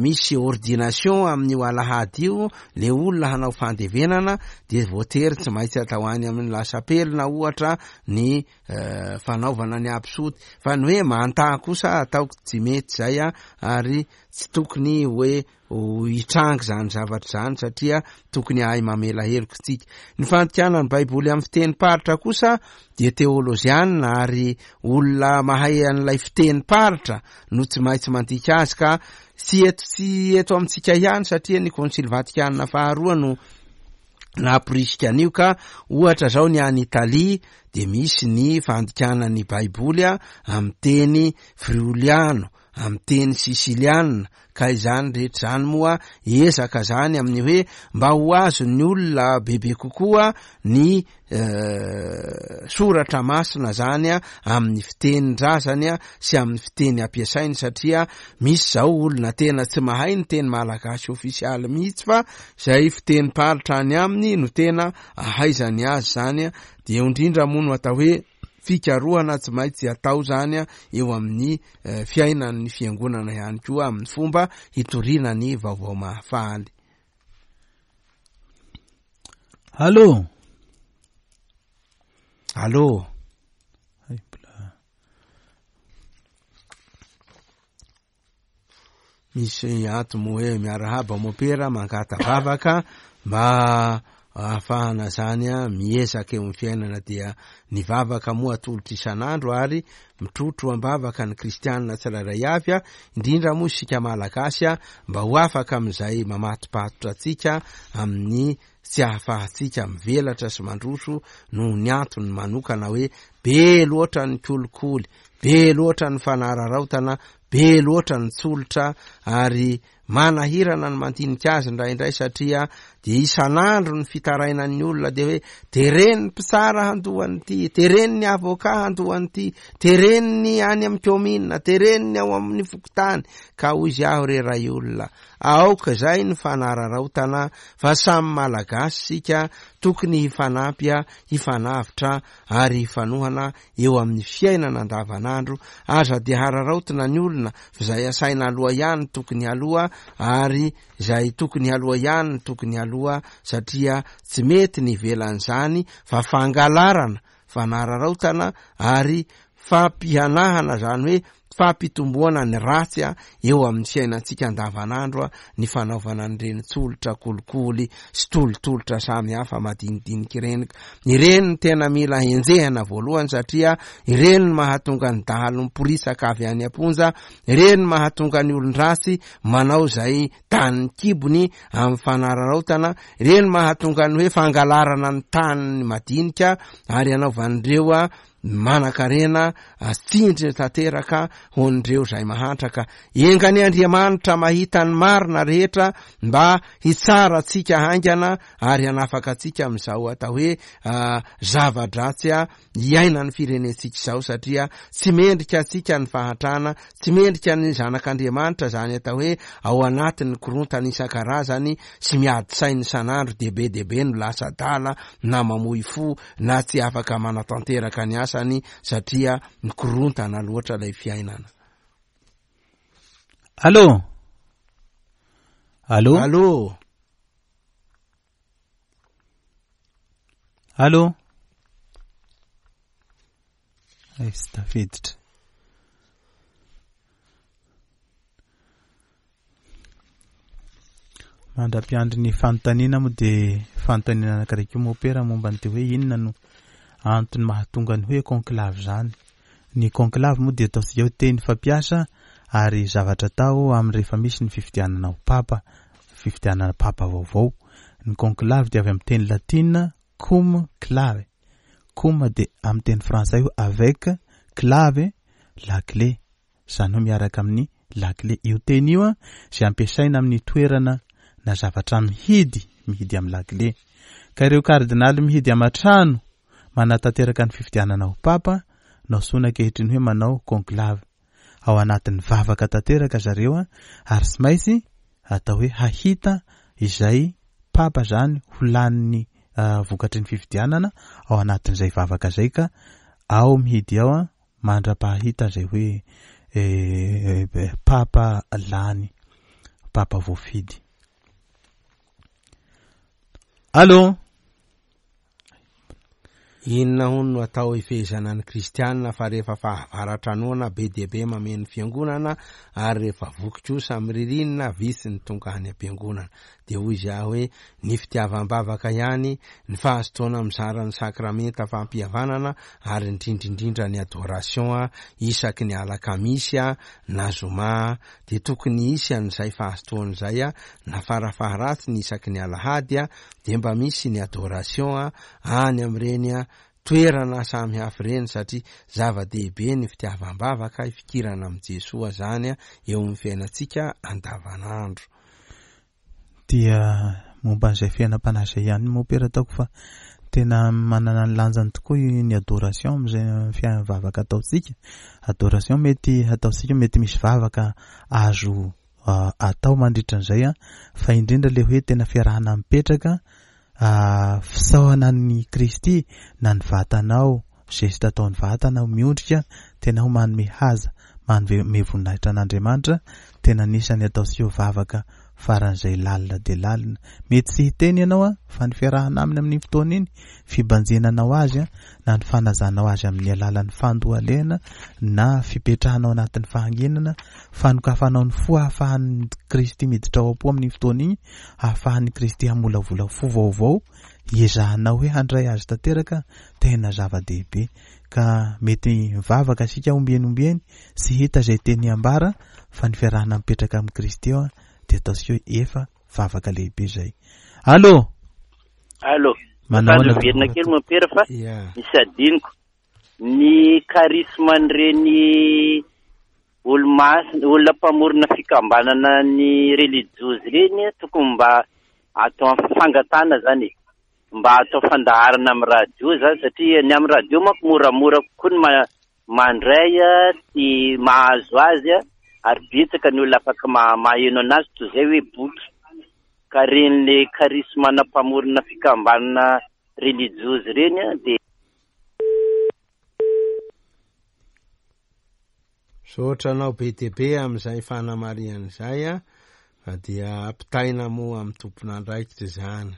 Misy ordination amin'io alahady io le olona hanao fandevenana dia voatery tsy maintsy atao any amin'ny lasapelina ohatra ny fanaovana ny absoty fa ny hoe manta kosa ataoko tsy mety zay a ary tsy tokony hoe ho hitranga izany zavatra izany satria tokony hahay mamela heloka isika. Ny fandikana ny baiboly amin'ny fitenim-paritra kosa dia teolojiana ary olona mahay an'ilay fitenim-paritra no tsy maintsy mandika azy ka tsy eto tsy eto amintsika ihany satria ny konsily vatikana faharoa no namporisika an'io ka ohatra zao ny any Italia dia misy ny fandikana ny baiboly a amin'ny teny frioliano amin'ny teny sisiliana ka izany rehetra izany moa ezaka zany amin'ny hoe mba ho azon'ny olona bebe kokoa ny soratra masina zany a amin'ny fitenin-drazany a sy amin'ny fiteny ampiasainy satria misy zao olona tena tsy mahay ny teny malagasy ofisialy mihitsy fa zay fitenim-paritra any aminy no tena ahaizany azy zany a, de eo indrindra moa no atao hoe. fikarohana tsy maintsy atao izany eo amin'ny fiainan'ny fiangonana ihany koa amin'ny fomba hitoriana ny vaovao mahafaly. Allô? Allô? Misy ato moa hoe miarahaba mopera mangata-bavaka mba ahafahana zany miezaka eo amin'ny fiainana dia ny vavaka moa atolotra isan'andro ary mitrotro am-bavaka ny kristianina tsirairay avy indrindra moa isika malagasy mba ho afaka amin'izay mamatopatotra antsika amin'ny tsy ahafahantsika mivelatra sy mandroso noho ny antony manokana hoe be loatra ny kolikoly, be loatra ny fanararaotana, Be loatra ny tsolotra ary manahirana ny mandinika azy indraindray satria dia isan'andro ny fitarainan'ny olona dia hoe teren'ny mpitsara handoa an'ity, teren'ny avocat handoa an'ity, teren'ny any amin'ny kaominina, teren'ny ao amin'ny fokontany. Ka hoy izy aho re ray olona, aoka izay ny fanararaotana fa samy Malagasy isika, tokony hifanampy, hifanavotra ary hifanohana eo amin'ny fiainana andavanandro, aza dia hararaotina ny olona f'izay asaina aloha ihany no tokony haloa ary izay tokony haloa ihany no tokony haloa satria tsy mety ny ivelan'izany fa fangalarana, fanararaotana ary fampihanahana izany hoe fampitomboana ny ratsy eo amin'ny fiainantsika andavanandro ny fanaovana an'ireny tsolotra kolikoly sy tolotolotra samy hafa madinidinika ireny. Ireny no tena mila henjehana voalohany satria ireny no mahatonga ny dahalo miporitsaka avy any am-ponja, ireny no mahatonga ny olon-dratsy manao izay tanin'ny kibony amin'ny fanararaotana, ireny no mahatonga ny hoe fangalarana ny tanin'ny madinika ary anaovan'ireo Manankarena tsindry tanteraka ho an'ireo izay mahantra ka enga anie Andriamanitra mahita ny marina rehetra mba hitsara antsika haingana ary hanafaka antsika amin'izao atao hoe zava-dratsy iainan'ny firenentsika izao satria tsy mendrika antsika ny fahantrana, tsy mendrika ny zanak'Andriamanitra izany atao hoe ao anatin'ny korontana isan-karazany sy miady saina isan'andro dia be dia be no lasa adala na mamoy fo na tsy afaka manatanteraka ny asany satria mikorontana loatra ilay fiainana. Allô? Allô? Allô? Allô? Ay, tsy tafiditra. Mandra-piandry ny fanontaniana moa dia fanontaniana anankiray koa mopera momba ny hoe inona no antony mahatonga ny hoe conclave izany. Ny conclave moa dia ataontsika hoe teny fampiasa ary zavatra atao amin'ny rehefa misy ny fifidianana ho papa, fifidianana papa vaovao. Ny conclave dia avy amin'ny teny latina cum clave. Cum dia amin'ny teny frantsay hoe avec, clave, la clé. izany hoe miaraka amin'ny lakile. Io teny io izay ampiasaina amin'ny toerana na zavatra mihidy, mihidy amin'ny lakile. Ka ireo kardinaly mihidy aman-trano manatanteraka ny fifidianana ho papa no antsoina ankehitriny hoe manao conclave. Ao anatin'ny vavaka tanteraka zareo ary tsy maintsy atao hoe hahita izay papa izany ho lanin'ny vokatry ny fifidianana ao anatin'izay vavaka izay ka ao mihidy ao mandra-pahita izay hoe Papa lany, Papa voafidy. Allô? Inona hono no atao hifehezana ny kristianina fa rehefa fahavaratra noana be dia be mameno fiangonana ary rehefa voky kosa amin'ny ririnina vitsy ny tonga any am-piangonana. Dia hoy izy ahy hoe ny fitiavam-bavaka ihany, ny fahazotoana mizara ny sakramenta fampihavanana ary indrindra indrindra ny adoration isaky ny alakamisy na zoma dia tokony hisy an'izay fahazotoana izay na farafaharatsiny isaky ny alahady dia mba misy ny adoration any amin'ireny toerana samy hafa ireny satria zava-dehibe ny fitiavam-bavaka hifikirana amin'i Jesoa zany eo amin'ny fiainantsika andavanandro. Dia momba an'izay fiainam-panahy izay ihany mompera ataoko fa tena manana ny lanjany tokoa ny adoration amin'izay fiainana vavaka ataontsika. Adoration mety ataontsika mety misy vavaka azo atao mandritra an'izay an, fa indrindra ilay hoe tena fiarahana mipetraka fisaorana an'i Kristy na ny vatanao. geste ataon'ny vatana, miondrika, tena ho manome haja, manome voninahitra an'Andriamanitra, tena anisan'ny ataontsika hoe vavaka faran'izay lalina dia lalina. Mety tsy hiteny ianao an, fa ny fiarahana aminy amin'iny fotoana iny, fibanjinanao azy an, na ny fanazanao azy amin'ny alalan'ny fandohalehana na fipetrahana ao anatin'ny fahanginana, fanokafanao ny fo ahafahan'i Kristy miditra ao am-po amin'iny fotoana iny, ahafahan'i Kristy hamolavola fo vaovao, hiezahanao hoe handray azy tanteraka, tena zava-dehibe. Ka mety mivavaka isika ombieny ombieny, tsy hita izay teny ambara, fa ny fiarahana mipetraka amin'i Kristy eo dia ataontsika hoe efa vavaka lehibe izay. Allô! Allô! Manao ahoana? Miverina kely mompera fa misy adinoko. Ny charisme-n'ireny olo-masina, olona mpamorona fikambanana ny relijiozy ireny tokony mba atao fangatahana zany e. Mba atao fandaharana amin'ny radio zany satria ny amin'ny radio manko moramora kokoa ny mandray sy mahazo azy ary betsaka ny olona afaka maheno anazy toy izay hoe boky. Ka ireny le charisme-na mpamorona fikambanana relijiozy ireny dia Misaotra anao be dia be amin'izay fanamarihana izay a, fa dia ampitaina moa amin'ny tompon'andraikitra izany.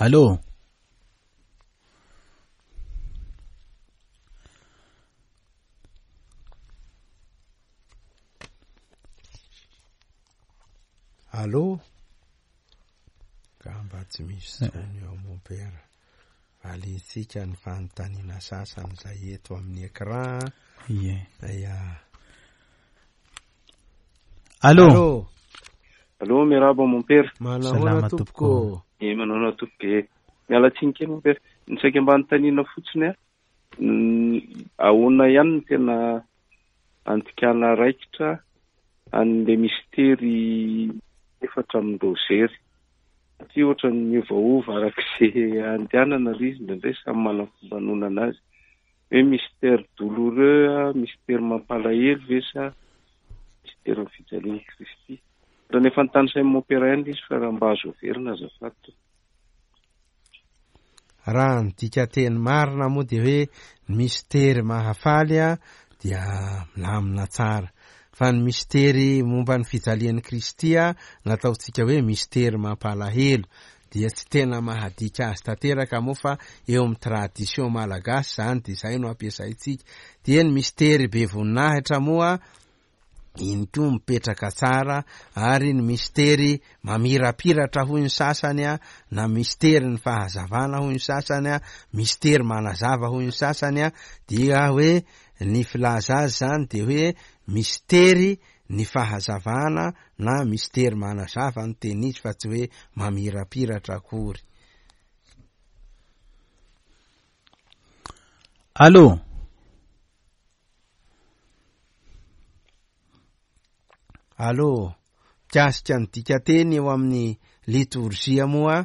Allô? Allô? Angamba tsy misy intsony eo mompera. Valintsika ny fanontaniana sasany izay eto amin'ny écran. Ie. Ia. Allô? Allô? Allô, miarahaba mompera. Manahoana Salama tompoko? tompoko. Eh, manahoana tompoko eh. Miala tsiny kely mompera. Ny saika mba anontaniana fotsiny a. Ahoana ihany no tena andikana raikitra an'ilay mistery efatra amin'ny Rozery? Satria ohatran'ny miovaova araka izay andehanana ilay izy, indraindray samy manana ny fomba anonana azy. Hoe mystère douloureux, mystère mampalahelo ve sa mystère-n'ny fijalian'i Kristy? Ohatran'ny efa notanisain'i Mompera ihany ilay izy fa raha mba azo averina azafady tompoko. Raha ny dikanteny marina moa dia hoe ny mistery mahafaly dia milamina tsara. Fa ny mistery momba ny fijalian'i Kristy nataontsika hoe mistery mampalahelo dia tsy tena mahadika azy tanteraka moa fa eo amin'ny tradition malagasy izany dia izay no ampiasaintsika. Dia ny mistery be voninahitra moa iny koa mipetraka tsara ary ny mistery mamirapiratra hoy ny sasany a, na mistery ny fahazavana hoy ny sasany a, mistery manazava hoy ny sasany a, dia hoe ny filaza azy zany dia hoe mistery ny fahazavana na mistery manazava no tena izy fa tsy hoe mamirapiratra akory. Allô? Allô, mikasika ny dikanteny eo amin'ny litorzia moa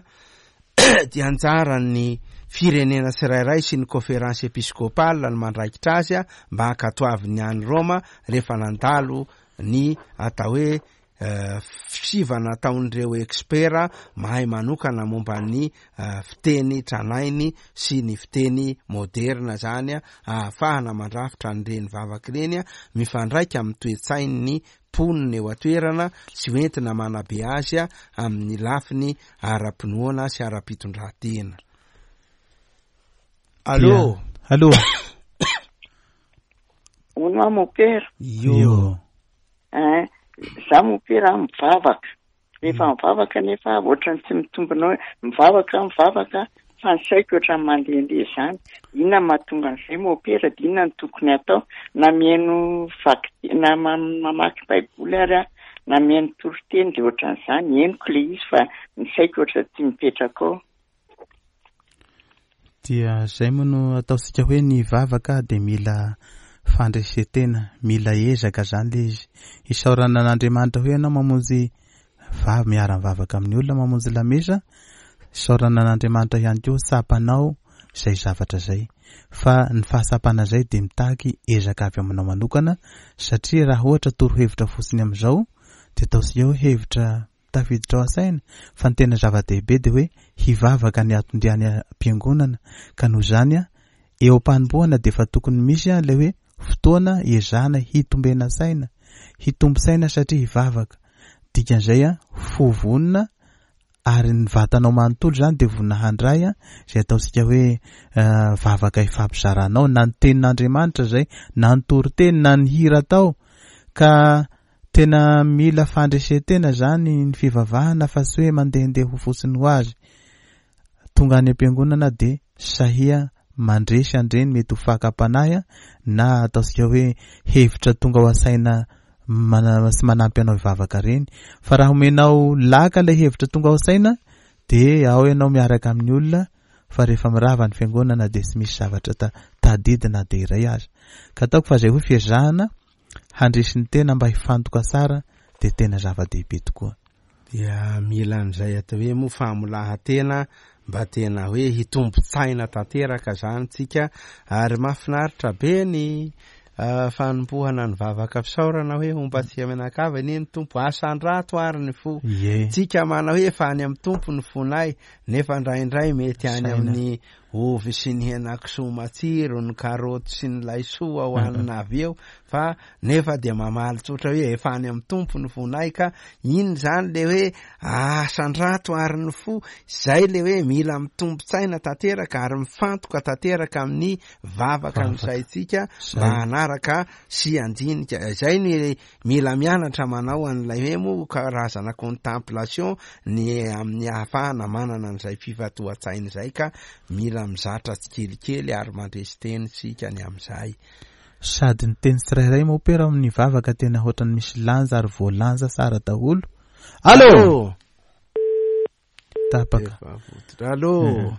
dia anjaran'ny firenena tsirairay sy ny conférence épiscopale no mandraikitra azy mba hankatoavin'ny any Roma rehefa nandalo ny atao hoe Fisivana ataon'ireo ekspera mahay manokana momba ny fiteny tranainy sy ny fiteny moderina izany ahafahana mandrafitra an'ireny vavaka ireny mifandraika amin'ny toe-tsain'ny mponina eo an-toerana sy hoentina manabe azy amin'ny lafiny ara-pinoana sy ara-pitondran-tena. Allô? Allô? Hono aho mompera. Io. Ein, za mompera mivavaka. Rehefa mivavaka nefa ohatran'ny tsy mitombina hoe mivavaka aho mivavaka fa ny saiko ohatran'ny mandehandeha izany. Inona no mahatonga an'izay mompera dia inona no tokony hatao? Na mihaino vaky na mamaky baiboly ary aho na mihaino toriteny dia ohatran'izany. Henoko ilay izy fa ny saiko ohatran'ny tsy mipetraka ao. Dia izay moa no ataontsika hoe ny vavaka dia mila fandresen-tena, mila ezaka izany ilay izy. Isaorana an'Andriamanitra hoe ianao mamonjy vavy miara-mivavaka amin'ny olona mamonjy lamesa, isaorana an'Andriamanitra ihany koa tsapanao izay zavatra izay. Fa ny fahatsapana izay dia mitaky ezaka avy aminao manokana satria raha ohatra torohevitra fotsiny amin'izao dia ataontsika hoe hevitra. tafiditra ao an-tsaina fa ny tena zava-dehibe dia hoe hivavaka ny atondia any am-piangonana ka noho izany eo am-panombohana dia efa tokony misy ilay hoe fotoana ezahana hitombena saina, hitombo saina satria hivavaka. Dikan'izay fo vonona ary ny vatanao manontolo izany dia vonona handray izay ataontsika hoe vavaka ifampizaranao na ny tenin'Andriamanitra izay na ny toriteny na ny hira atao ka tena mila fandresen-tena izany ny fivavahana fa tsy hoe mandehandeha ho fotsiny ho azy. Tonga any am-piangonana dia sahia mandresy an'ireny mety ho fakam-panahy na ataontsika hoe hevitra tonga ao an-tsaina sy manampy anao hivavaka ireny. Fa raha omenao laka ilay hevitra tonga ao an-tsaina dia ao ianao miaraka amin'ny olona fa rehefa mirava ny fiangonana dia tsy misy zavatra tadidy na dia iray aza. Ka ataoko fa izay hoe fiezahana handresy ny tena mba hifantoka tsara dia tena zava-dehibe tokoa. Dia mila an'izay atao hoe moa famolahan-tena mba tena hoe hitombo-tsaina tanteraka zany tsika ary mahafinaritra be ny fanompohana ny vavaka fisaorana hoe homba antsika mianakavy anie ny Tompo, asandrato ary ny fo. Tsika manao hoe efa any amin'ny Tompo ny fonay nefa indraindray mety any amin'ny ovy sy ny henakisoa matsiro, ny karaoty sy ny laisoa hohanina avy eo fa nefa dia mamaly tsotra hoe efa any amin'ny Tompo ny fonay ka iny izany le hoe asandrato ary ny fo, izay le hoe mila mitombo-tsaina tanteraka ary mifantoka tanteraka amin'ny vavaka ny saintsika mba hanaraka sy handinika, izay ny Mila mianatra manao an'ilay hoe moa karazana contemplation ny amin'ny ahafahana manana an'izay fifantohan-tsaina izay ka mila mizatra tsikelikely ary mandresy teny isika ny amin'izay. Sady ny teny tsirairay mopera ao amin'ny vavaka tena hoatran'ny misy lanja ary voalanja tsara daholo. Allô! Tapaka. Efa vototra. Allô!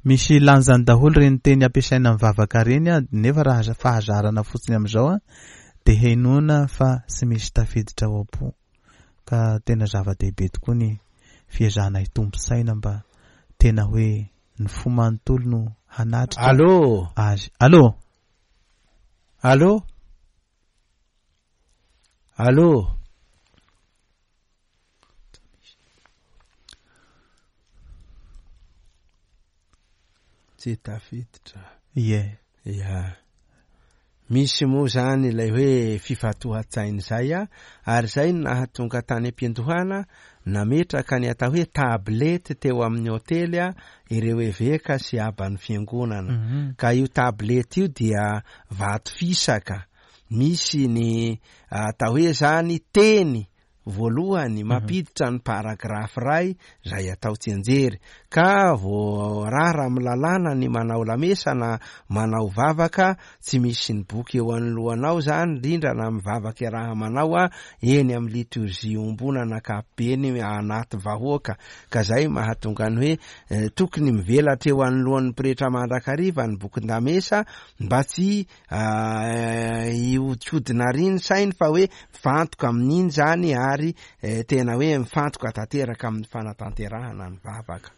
Misy lanjany daholo ireny teny ampiasaina amin'ny vavaka ireny nefa raha fahazarana fotsiny amin'izao dia henoina fa tsy misy tafiditra ao am-po. Ka tena zava-dehibe tokoa ny fiezahana hitombo saina mba tena hoe ny fo manontolo no hanatrika Allô! azy. Allô! Allô! Allô! Tsy tafiditra. Ie. Ya. Misy moa zany ilay hoe fifantohan-tsaina izay a, ary izay no nahatonga tany am-piandohana nametraka ny atao hoe tablette teo amin'ny hotely a, ireo eveka sy aban'ny fiangonana. Ka io tablette io dia vato fisaka misy ny atao hoe zany teny voalohany mampiditra ny paragraphe iray izay atao tsianjery ka voarara amin'ny lalàna ny manao lamesa na manao vavaka tsy misy ny boky eo anoloanao zany indrindra na mivavaka iaraha-manao a eny amin'ny liturgie iombonana ankapobeny anaty vahoaka ka zay mahatonga ny hoe eh, tokony mivelatra eo anoloan'ny pretra mandrakariva ny bokin-damesa mba tsy Hiodikodina àry ny sainy fa hoe mifantoka amin'iny izany ary tena hoe mifantoka tanteraka amin'ny fanatanterahana ny vavaka.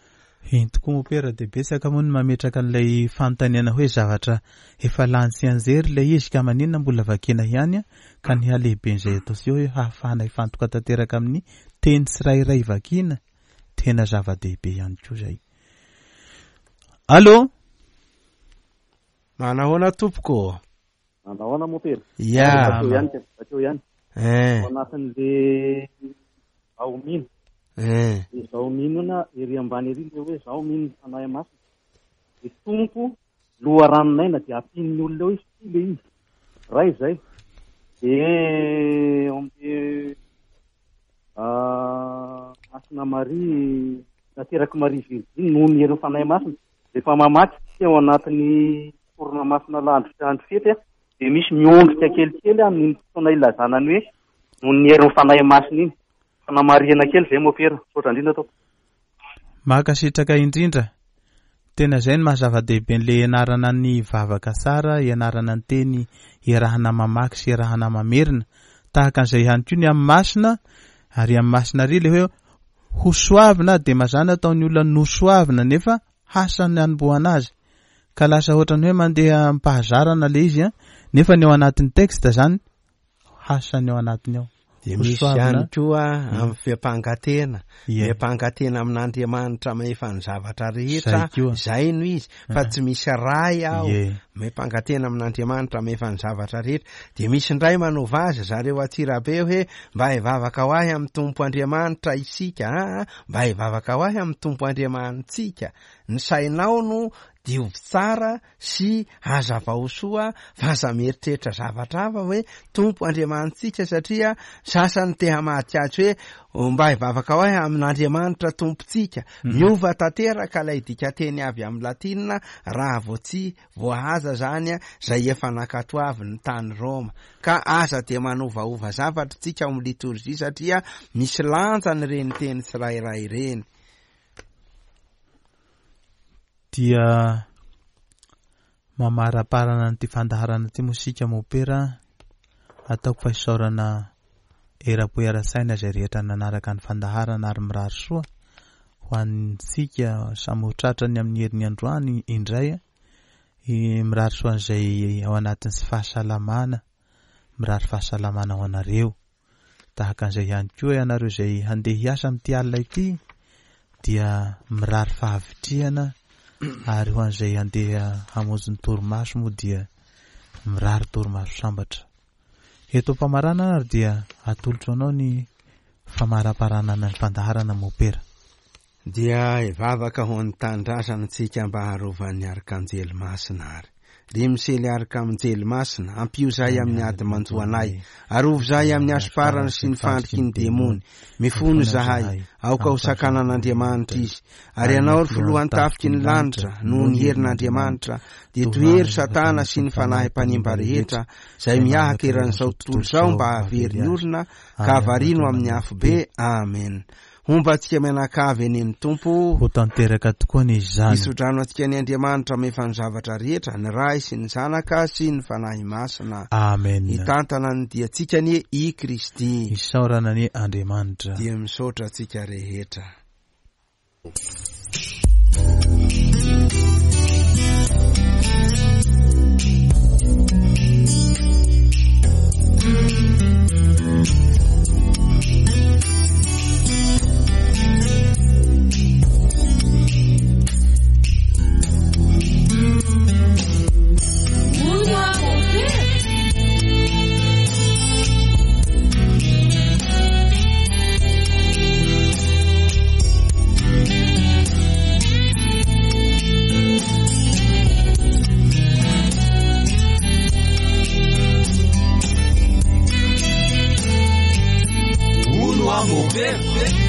Eny tokoa mopera dia betsaka moa ny mametraka an'ilay fanontaniana hoe zavatra efa lany tsianjery ilay izy ka maninona mbola vakiana ihany ka ny halehiben'izay ataontsika hoe hahafahana hifantoka tanteraka amin'ny teny tsirairay vakiana tena zava-dehibe ihany koa izay. Allô? Manahoana tompoko ô? Manahoana mompera? Ya. Bakeo ihany ka, bakeo ihany. Eh. Ao anatin'le zaho mino. Eh. Le zaho mino na ery ambany ery le hoe zaho mino ny Fanahy Masina. Le Tompo loharanon'aina dia ampian'ny olona eo izy tsy le izy. Ray izay. De eo amin'le Masina Maria naterak'i Maria Virjiny noho ny herin'ny Fanahy Masina. Rehefa mamaky isika ao anatin'ny sorona masina alahady sy andro fety dia misy miondrika kelikely amin'iny fotoana ilazana ny hoe noho ny herin'ny Fanahy Masina iny. Fanamarihana kely izay Mopera. Misaotra indrindra tompoko. Mankasitraka indrindra. Tena izay no maha zava-dehibe an'ilay ianarana ny vavaka tsara, ianarana ny teny iarahana mamaky sy iarahana mamerina. Tahaka an'izay ihany koa ny amin'ny masina, ary amin'ny masina ary ilay hoe Hosoavina dia mazàna ataon'ny olona nosoavina nefa hasa ny hanombohana azy. Ka lasa ohatran'ny hoe mandeha am-pahazarana ilay izy an, nefa ny ao anatin'ny texte zany hasa ny ao anatiny ao. Dia misy ihany koa amin'ny fiampangatena. Miampanga tena amin'Andriamanitra mahefa ny zavatra rehetra, izay no izy, fa tsy misy ray aho. Miampanga tena amin'Andriamanitra mahefa ny zavatra rehetra. Dia misy indray manova azy zareo Antsirabe hoe mba hivavaka ho ahy amin'ny Tompo Andriamanitra isika aa, mba hivavaka ho ahy amin'ny Tompo Andriamanitsika. Ny sainao no diovy tsara sy hazavao soa fa aza mieritreritra zavatra hafa hoe Tompo Andriamanitsika satria sasany te hamadika azy hoe mba hivavaka ho ahy amin'Andriamanitra Tompontsika. Miova tanteraka ilay dikanteny avy amin'ny latina raha vao tsy voahaza zany zay efa nankatoaviny tany Roma. Ka aza dia manovaova zavatra tsika ao amin'ny litorjia satria misy lanjany ireny teny tsirairay ireny. Dia mamaraparana an'ity fandaharana ity moa isika mopera ataoko fa isaorana eram-po era-tsaina izay rehetra nanaraka ny fandaharana ary mirary soa ho antsika samy ho tratrany amin'ny heriny androany indray mirary soa an'izay ao anatin'ny sy fahasalamana mirary fahasalamana ho anareo Tahaka an'izay ihany koa ianareo izay handeha hiasa amin'ity alina ity dia mirary fahavitrihana ary ho an'izay handeha hamonjy ny torimaso moa dia mirary torimaso sambatra. Eto am-pamaranana ary dia atolotro anao ny famaraparanana ny fandaharana Mopera. Dia hivavaka ho an'ny tanindrazana tsika mba harovan'ny Arkanjely Masina ary. Ry Misely Arkamjely Masina, ampio zahay amin'ny ady manjo anay. Arovy zahay amin'ny hasomparana sy ny fandriky ny demony. Mifono zahay, aoka ho sakanan'Andriamanitra izy. Ary ianao ry filohan'ny-tafiky ny lanitra, noho ny herin'Andriamanitra, dia tohero Satana sy ny fanahy mpanimba rehetra, izay miahaka eran'izao tontolo izao mba hahavery ny olona, ka havarino amin'ny afobe. Amen. Homba antsika mianakavy anie ny Tompo. Ho tanteraka tokoa anie izany. Hitsodrano antsika anie Andriamanitra mahefa ny zavatra rehetra, ny Ray sy ny Zanaka sy ny Fanahy Masina. Amen. Hitantana ny diantsika anie i Kristy. Isaorana anie Andriamanitra. Dia misaotra antsika rehetra. Ono a mompera.